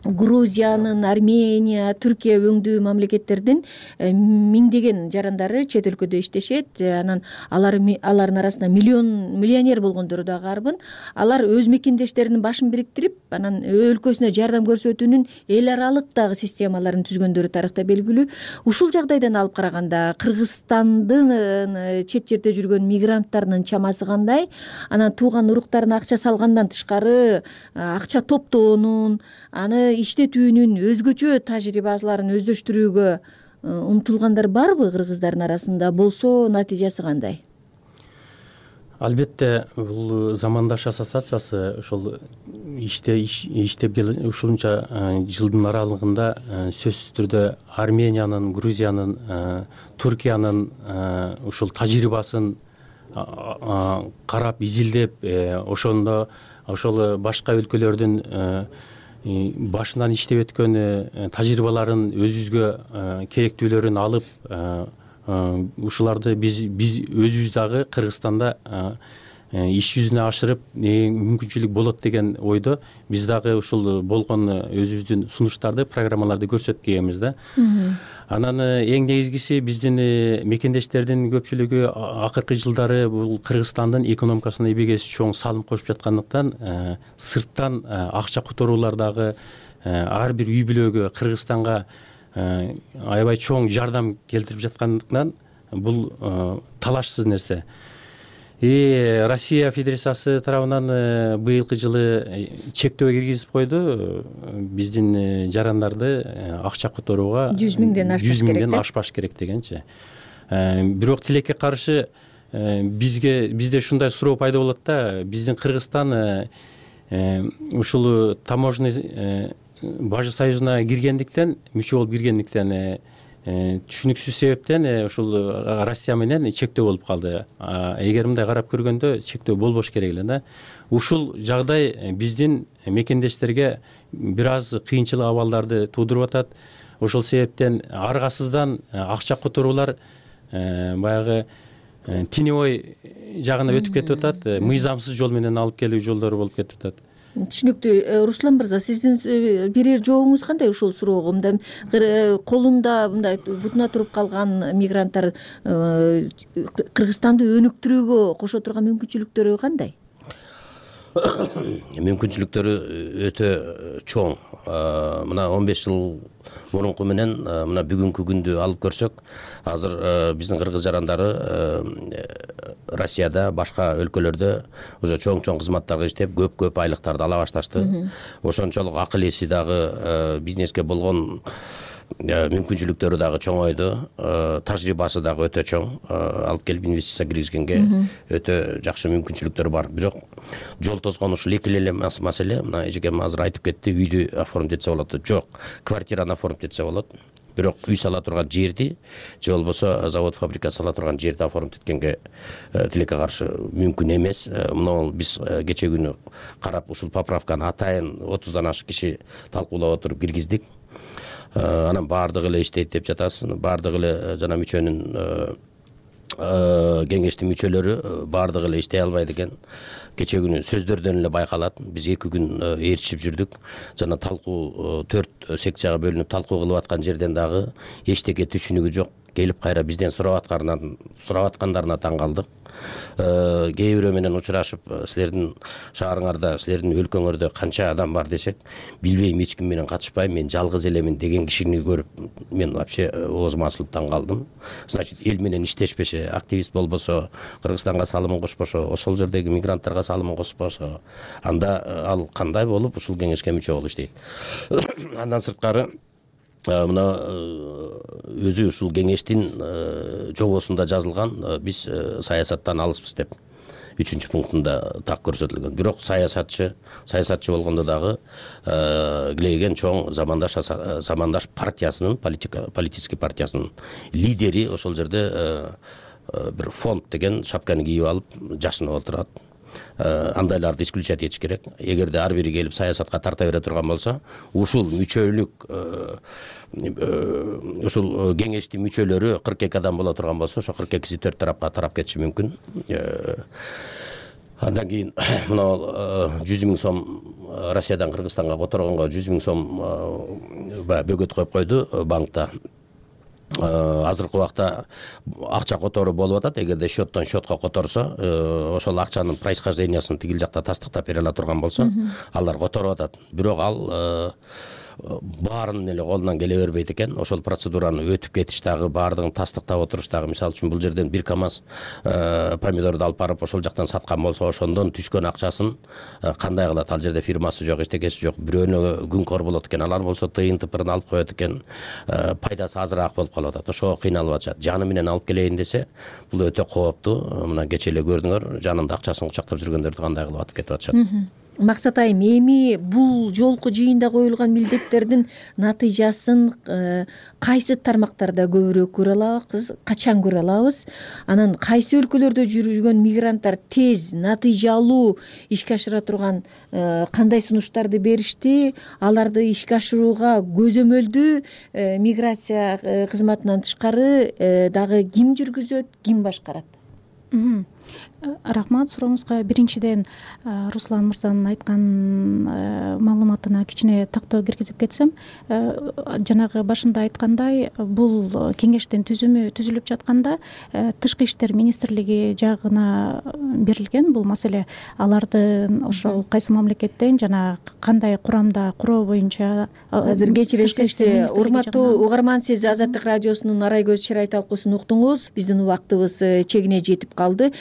Грузиянын, Армения, Түркия өңдүү мамлекеттердин миңдеген жарандары чет өлкөдө иштешет. Анан алар алардын арасында миллион миллионер болгондору да карбын. Алар өз мекендештеринин башын бириктирип, анан өлкөсүнө жардам көрсөтүүнүн эл аралык дагы системаларын түзгөндөрү тарыхта белгилүү. Ушул жагдайдан алып караганда Кыргызстандын чет жерде жүргөн мигранттарынын чамасы кандай? Анан тууган уруктарына акча салгандан тышкары акча топтоонун, аны иштетүүнүн өзгөчө тажрыйбаларын өздөштүрүүгө умтулгандар барбы кыргыздардын арасында? Болсо натыйжасы кандай? Албетте бул замандаш ассоциациясы ошол иште иштеп ушунча жылдын аралыгында сөзсүз түрдө Армениянын, Грузиянын, Түркиянын ушул тажрыйбасын карап, изилдеп, ошондо ошол башка өлкөлөрдүн башынан иштеп өткөн тажрыйбаларын өзүбүзгө керектүүлөрүн алып, ушуларды биз биз өзүбүз дагы Кыргызстанда иш жүзүнө ашырып мүмкүнчүлүк болот деген ойдо биз дагы ушул болгон өзүбүздүн сунуштарды, программаларды көрсөтүп келебиз да. Анан эң негизгиси биздин мекендештердин көпчүлүгү акыркы жылдары бул Кыргызстандын экономикасына эбегейсиз чоң салым кошуп жаткандыктан сырттан акча которуулар дагы ар бир үй бүлөгө Кыргызстанга аябай чоң жардам келтирип жаткандыктан бул талашсыз нерсе. И Россия Федерациясы тарабынан быйылкы жылы чектөө киргизип койду. Биздин жарандарды акча которууга жүз миңден ашпаш керек. жүз миңден ашпаш керек дегенчи. Бирок тилекке каршы бизге бизде ушундай суроо пайда болот да, биздин Кыргызстан ушул таможенный бажы союзуна киргендиктен, мүчө болуп киргендиктен түшүнүксүз себептен ушул Россия менен чектөө болуп калды. Эгер мындай карап көргөндө чектөө болбош керек эле да. Ушул жагдай биздин мекендештерге бир аз кыйынчылык абалдарды туудуруп атат. Ошол себептен аргасыздан акча которуулар баягы теневой жагына өтүп кетип атат, мыйзамсыз жол менен алып келүү жолдору болуп кетип атат. Түшүнүктүү. Руслан мырза, сиздин берер жообуңуз кандай ушул суроого? Мындай колунда мындай бутуна туруп калган мигранттар Кыргызстанды өнүктүрүүгө кошо турган мүмкүнчүлүктөрү кандай? Мүмкүнчүлүктөрү өтө чоң. Мына он беш жыл мурунку менен мына бүгүнкү күндү алып көрсөк, азыр биздин кыргыз жарандары Россияда, башка өлкөлөрдө уже чоң-чоң кызматтарга иштеп, көп-көп айлыктарды ала башташты. Ошончолук акыл эси дагы, бизнеске болгон мүмкүнчүлүктөрү дагы чоңойду, тажрыйбасы дагы өтө чоң, алып келип инвестиция киргизгенге өтө жакшы мүмкүнчүлүктөр бар. Бирок жол тоскон ушул эки эле маселе, мына эжекем азыр айтып кетти, үйдү оформить этсе болот. Жок, квартираны оформить этсе болот. Бирок үй сала турган жерди, же болбосо завод, фабрика сала турган жерди оформить эткенге тилекке каршы мүмкүн эмес. Мына биз кече күнү карап ушул поправканы атайын отуздан ашык киши талкуулап отуруп киргиздик. Анан баардыгы эле иштейт деп жатасыз. Баардыгы эле жана мүчөнүн кеңештин мүчөлөрү баардыгы эле иштей албайт экен. Кече күнү сөздөрдөн эле байкалат. Биз эки күн ээрчишип жүрдүк. Жана талкуу төрт секцияга бөлүнүп талкуу кылып аткан жерден дагы эчтеке түшүнүгү жок. Келип кайра бизден сурап аткандарынан сурап аткандарына таң калдык. Кээ бирөө менен учурашып, силердин шаарыңарда, силердин өлкөңөрдө канча адам бар десек, билбейм, эч ким менен катышпайм, мен жалгыз элемин деген кишини көрүп, мен вообще оозум ачылып таң калдым. Значит, эл менен иштешпесе, активист болбосо, Кыргызстанга салымын кошпошо, ошол жердеги мигранттарга салымын кошпосо, анда ал кандай болуп ушул кеңешке мүчө болуп иштейт. Андан сырткары мына өзү ушул кеңештин жобосунда жазылган, биз саясаттан алыспыз деп үчүнчү пунктунда так көрсөтүлгөн. Бирок саясатчы, саясатчы болгондо дагы килейген чоң замандаш замандаш партиясынын, политический партиясынын лидери ошол жерде бир фонд деген шапканы кийип алып жашынып отурат. Андайларды исключать этиш керек. Эгерде ар бири келип саясатка тарта бере турган болсо, ушул мүчөлүк ушул кеңештин мүчөлөрү кырк эки адам боло турган болсо, ошо кырк экиси төрт тарапка тарап кетиши мүмкүн. Андан кийин мына жүз миң сом Россиядан Кыргызстанга которгонго жүз миң сом баягы бөгөт коюп койду банкта. Азыркы убакта акча которуу болуп атат. Эгерде счеттон счетко которсо, ошол акчанын происхождениясын тигил жакта тастыктап бере ала турган болсо, алар которуп атат. Бирок ал баарынын эле колунан келе бербейт экен. Ошол процедураны өтүп кетиш дагы, баардыгын тастыктап отуруш дагы, мисалы үчүн бул жерден бир КАМАЗ помидорду алып барып ошол жактан саткан болсо, ошондон түшкөн акчасын кандай кылат? Ал жерде фирмасы жок, эчтекеси жок. Бирөөнө күнкөр болот экен. Алар болсо тыйын тыпырын алып коет экен. Пайдасы азыраак болуп калып атат. Ошого кыйналып атышат. Жаны менен алып келейин десе, бул өтө кооптуу. Мына кечээ эле көрдүңөр, жанында акчасын кучактап жүргөндөрдү кандай кылып атып кетип атышат. Максат айым, эми бул жолку жыйында коюлган милдеттердин натыйжасын кайсы тармактарда көбүрөөк көрө алабыз, качан көрө алабыз? Анан кайсы өлкөлөрдө жүргөн мигранттар тез, натыйжалуу ишке ашыра турган кандай сунуштарды беришти? Аларды ишке ашырууга көзөмөлдүү миграция кызматынан тышкары дагы ким жүргүзөт, ким башкарат? Рахмат сурооңузга. Биринчиден Руслан мырзанын айткан маалыматына кичине тактоо киргизип кетсем, жанагы башында айткандай, бул кеңештин түзүмү түзүлүп жатканда Тышкы иштер министрлиги жагына берилген бул маселе. Алардын ошол кайсы мамлекеттен жана кандай курамда куроо боюнча. Азыр кечиресиз, урматтуу угарман, сиз Азаттык радиосунун Арай көз чырай талкуусун уктуңуз. Биздин убактыбыз чегине жетип калды.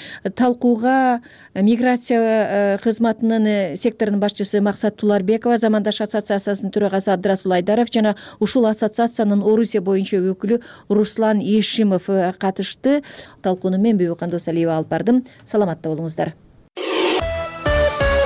Талкууга миграция кызматынын секторунун башчысы Максат Туларбекова, Замандаш ассоциациясынын төрагасы Абдырасул Айдаров жана ушул ассоциациянын Орусия боюнча өкүлү Руслан Ешимов катышты. Талкууну мен Бүбү Кандосалиева алып бардым. Саламатта болуңуздар.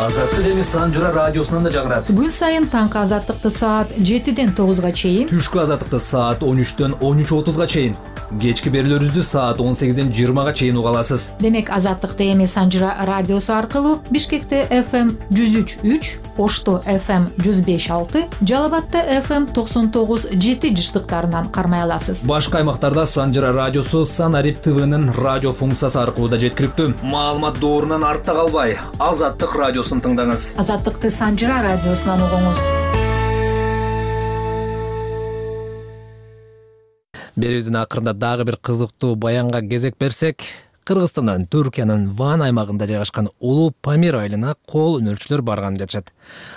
Азаттык эми Санжыра радиосунан да жагырат. Күн сайын таңкы азаттыкты саат жетиден тогузга чейин, түшкү азаттыкты саат он үчтөн он үч отузга чейин, кечки берүүлөрүбүздү саат он сегизден жыйырмага чейин уга аласыз. Демек азаттыкты эми Санжыра радиосу аркылуу Бишкекте эф эм жүз үч үч, Ошто эф эм жүз беш алты, Жалал Абадта эф эм токсон тогуз жети жыштыктарынан кармай аласыз. Башка аймактарда Санжыра радиосу Санарип ТВнын радио функциясы аркылуу да жеткиликтүү. Маалымат доорунан артта калбай, Азаттык радиосун тыңдаңыз. Азаттыкты Санжыра радиосунан угуңуз. Берүүбүздүн акырында дагы бир кызыктуу баянга кезек берсек, Кыргызстандан Түркиянын Ван аймагында жайгашкан Улуу Памир айылына кол өнөрчүлөр барган жатышат.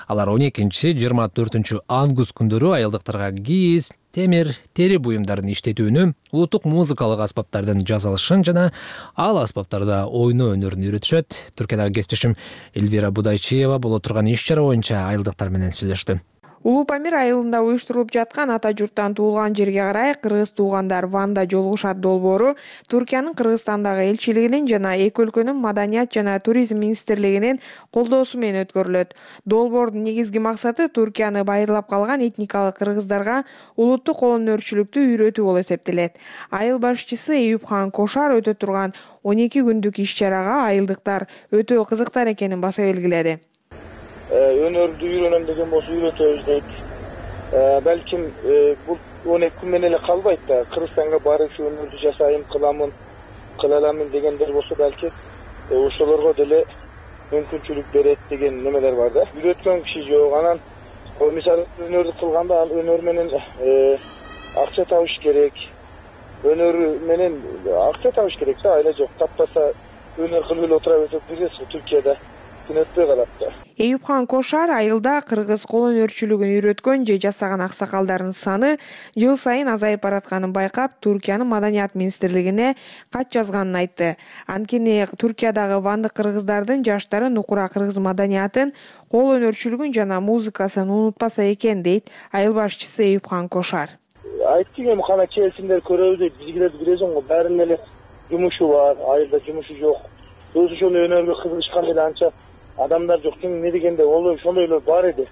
Алар он экинчи жыйырма төртүнчү август күндөрү айылдыктарга кийиз, темир, тери буюмдарын иштетүүнү, улуттук музыкалык аспаптардын жасалышын жана ал аспаптарда ойноо өнөрүн үйрөтүшөт. Түркиядагы кесиптешим Эльвира Будайчиева боло турган иш-чара боюнча айылдыктар менен сүйлөштү. Улуу Памир айылында уюштурулуп жаткан ата журттан туулган жерге карай кыргыз туугандар Ванда жолугушат долбоору Түркиянын Кыргызстандагы элчилигинин жана эки өлкөнүн маданият жана туризм министрлигинин колдоосу менен өткөрүлөт. Долбоордун негизги максаты Түркияны байырлап калган этникалык кыргыздарга улуттук кол өнөрчүлүктү үйрөтүү болуп эсептелет. Айыл башчысы Эюпхан Кошар өтө турган он эки күндүк иш-чарага айылдыктар өтө кызыктар экенин баса белгиледи. Өнөрдү үйрөнөм деген болсо үйрөтөбүз дейт. Балким бул он эки күн менен эле калбайт да. Кыргызстанга барып ушу өнөрдү жасайм, кыламын, кыла аламын дегендер болсо балки ошолорго деле мүмкүнчүлүк берет деген немелер бар да. Үйрөткөн киши жок. Анан мисалы өнөрдү кылганда ал өнөр менен акча табыш керек. Өнөр менен акча табыш керек да, айла жок. Таппаса өнөр кылып эле отура берсек билесиз, Түркияда күн өтпөй калат да. Эюпхан Кошар айылда кыргыз кол өнөрчүлүгүн үйрөткөн же жасаган аксакалдардын саны жыл сайын азайып баратканын байкап, Түркиянын маданият министрлигине кат жазганын айтты. Анткени Түркиядагы вандык кыргыздардын жаштары нукура кыргыз маданиятын, кол өнөрчүлүгүн жана музыкасын унутпаса экен дейт айыл башчысы Эюпхан Кошар. Айттым эми кана келсиндер көрөбүз дейт. Бизгилерди билесиң го, баарынын эле жумушу бар, айылда жумушу жок. Өз ошондой өнөргө кызыгышкан эле анча адамдар жок. Ким эмне дегенде ол ошондойлор бар эди.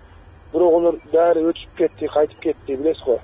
Бирок олар баары өтүп кетти, кайтып кетти, билесиз го.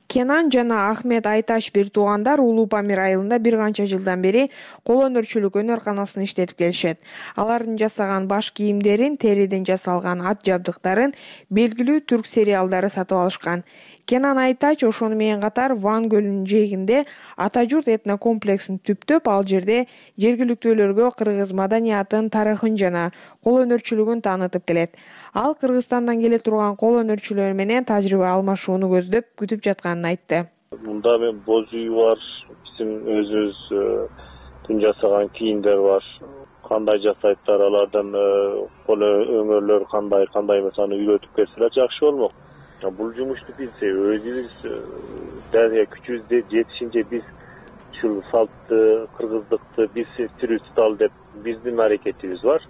Кенан жана Ахмет Айташ бир туугандар Улуу Памир айылында бир канча жылдан бери кол өнөрчүлүк өнөр-канасын иштетип келишет. Алардын жасаган баш кийимдерин, териден жасалган ат жабдыктарын белгилүү түрк сериалдары сатып алышкан. Кенан Айтач ошону менен катар Ван көлүнүн жээгинде Ата журт этно комплексин түптөп, ал жерде жергиликтүүлөргө кыргыз маданиятын, тарыхын жана кол өнөрчүлүгүн таанытып келет. Ал Кыргызстандан келе турган кол өнөрчүлөр менен тажрыйба алмашууну көздөп күтүп жатканын айтты. Мында мен боз үй бар, биздин өзүбүздүн жасаган кийимдер бар. Кандай жасайттар, алардан кол өңөрлөр кандай, кандай эмес, аны үйрөтүп берселер жакшы болмок. Бул жумушту биз өзүбүз дагы күчүбүздө жетишинче биз ушул салтты, кыргыздыкты биз тирүү туталы деп биздин аракетибиз бар.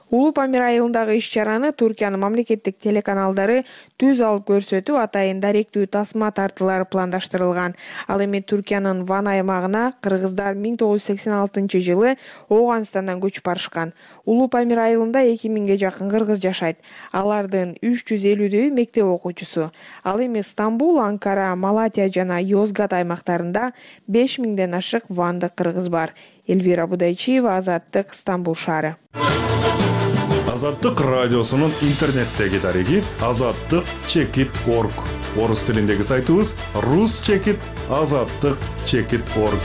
Улуу Памир айылындагы иш-чараны Туркиянын мамлекеттик телеканалдары түз алып көрсөтүп, атайын даректүү тасма тартуулары пландаштырылган. Ал эми Туркиянын Ван аймагына кыргыздар миң тогуз жүз сексен алтынчы жылы Ооганстандан көчүп барышкан. Улуу Памир айылында эки миңге жакын кыргыз жашайт. Алардын үч жүз элүүдөйү мектеп окуучусу. Ал эми Стамбул, Анкара, Малатия жана Йозгат аймактарында беш миңден ашык вандык кыргыз бар. Элвира Будайчиева, Азаттык, Стамбул шаары. Азаттык радиосунун интернеттеги дареги азаттык чекит орг. Орус тилиндеги сайтыбыз рус чекит азаттык чекит орг.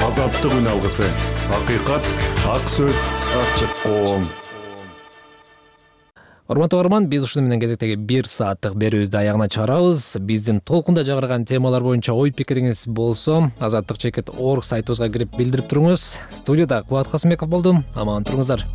Азаттык үн алгысы. Акыйкат, ак сөз, ачык коом. Урматтуу угарман, биз ушуну менен кезектеги бир сааттык берүүбүздү аягына чыгарабыз. Биздин толкунда жагырган темалар боюнча ой пикириңиз болсо, азаттык чекит орг сайтыбызга кирип билдирип туруңуз. Студияда Кубат Касымбеков болду. Аман туруңуздар.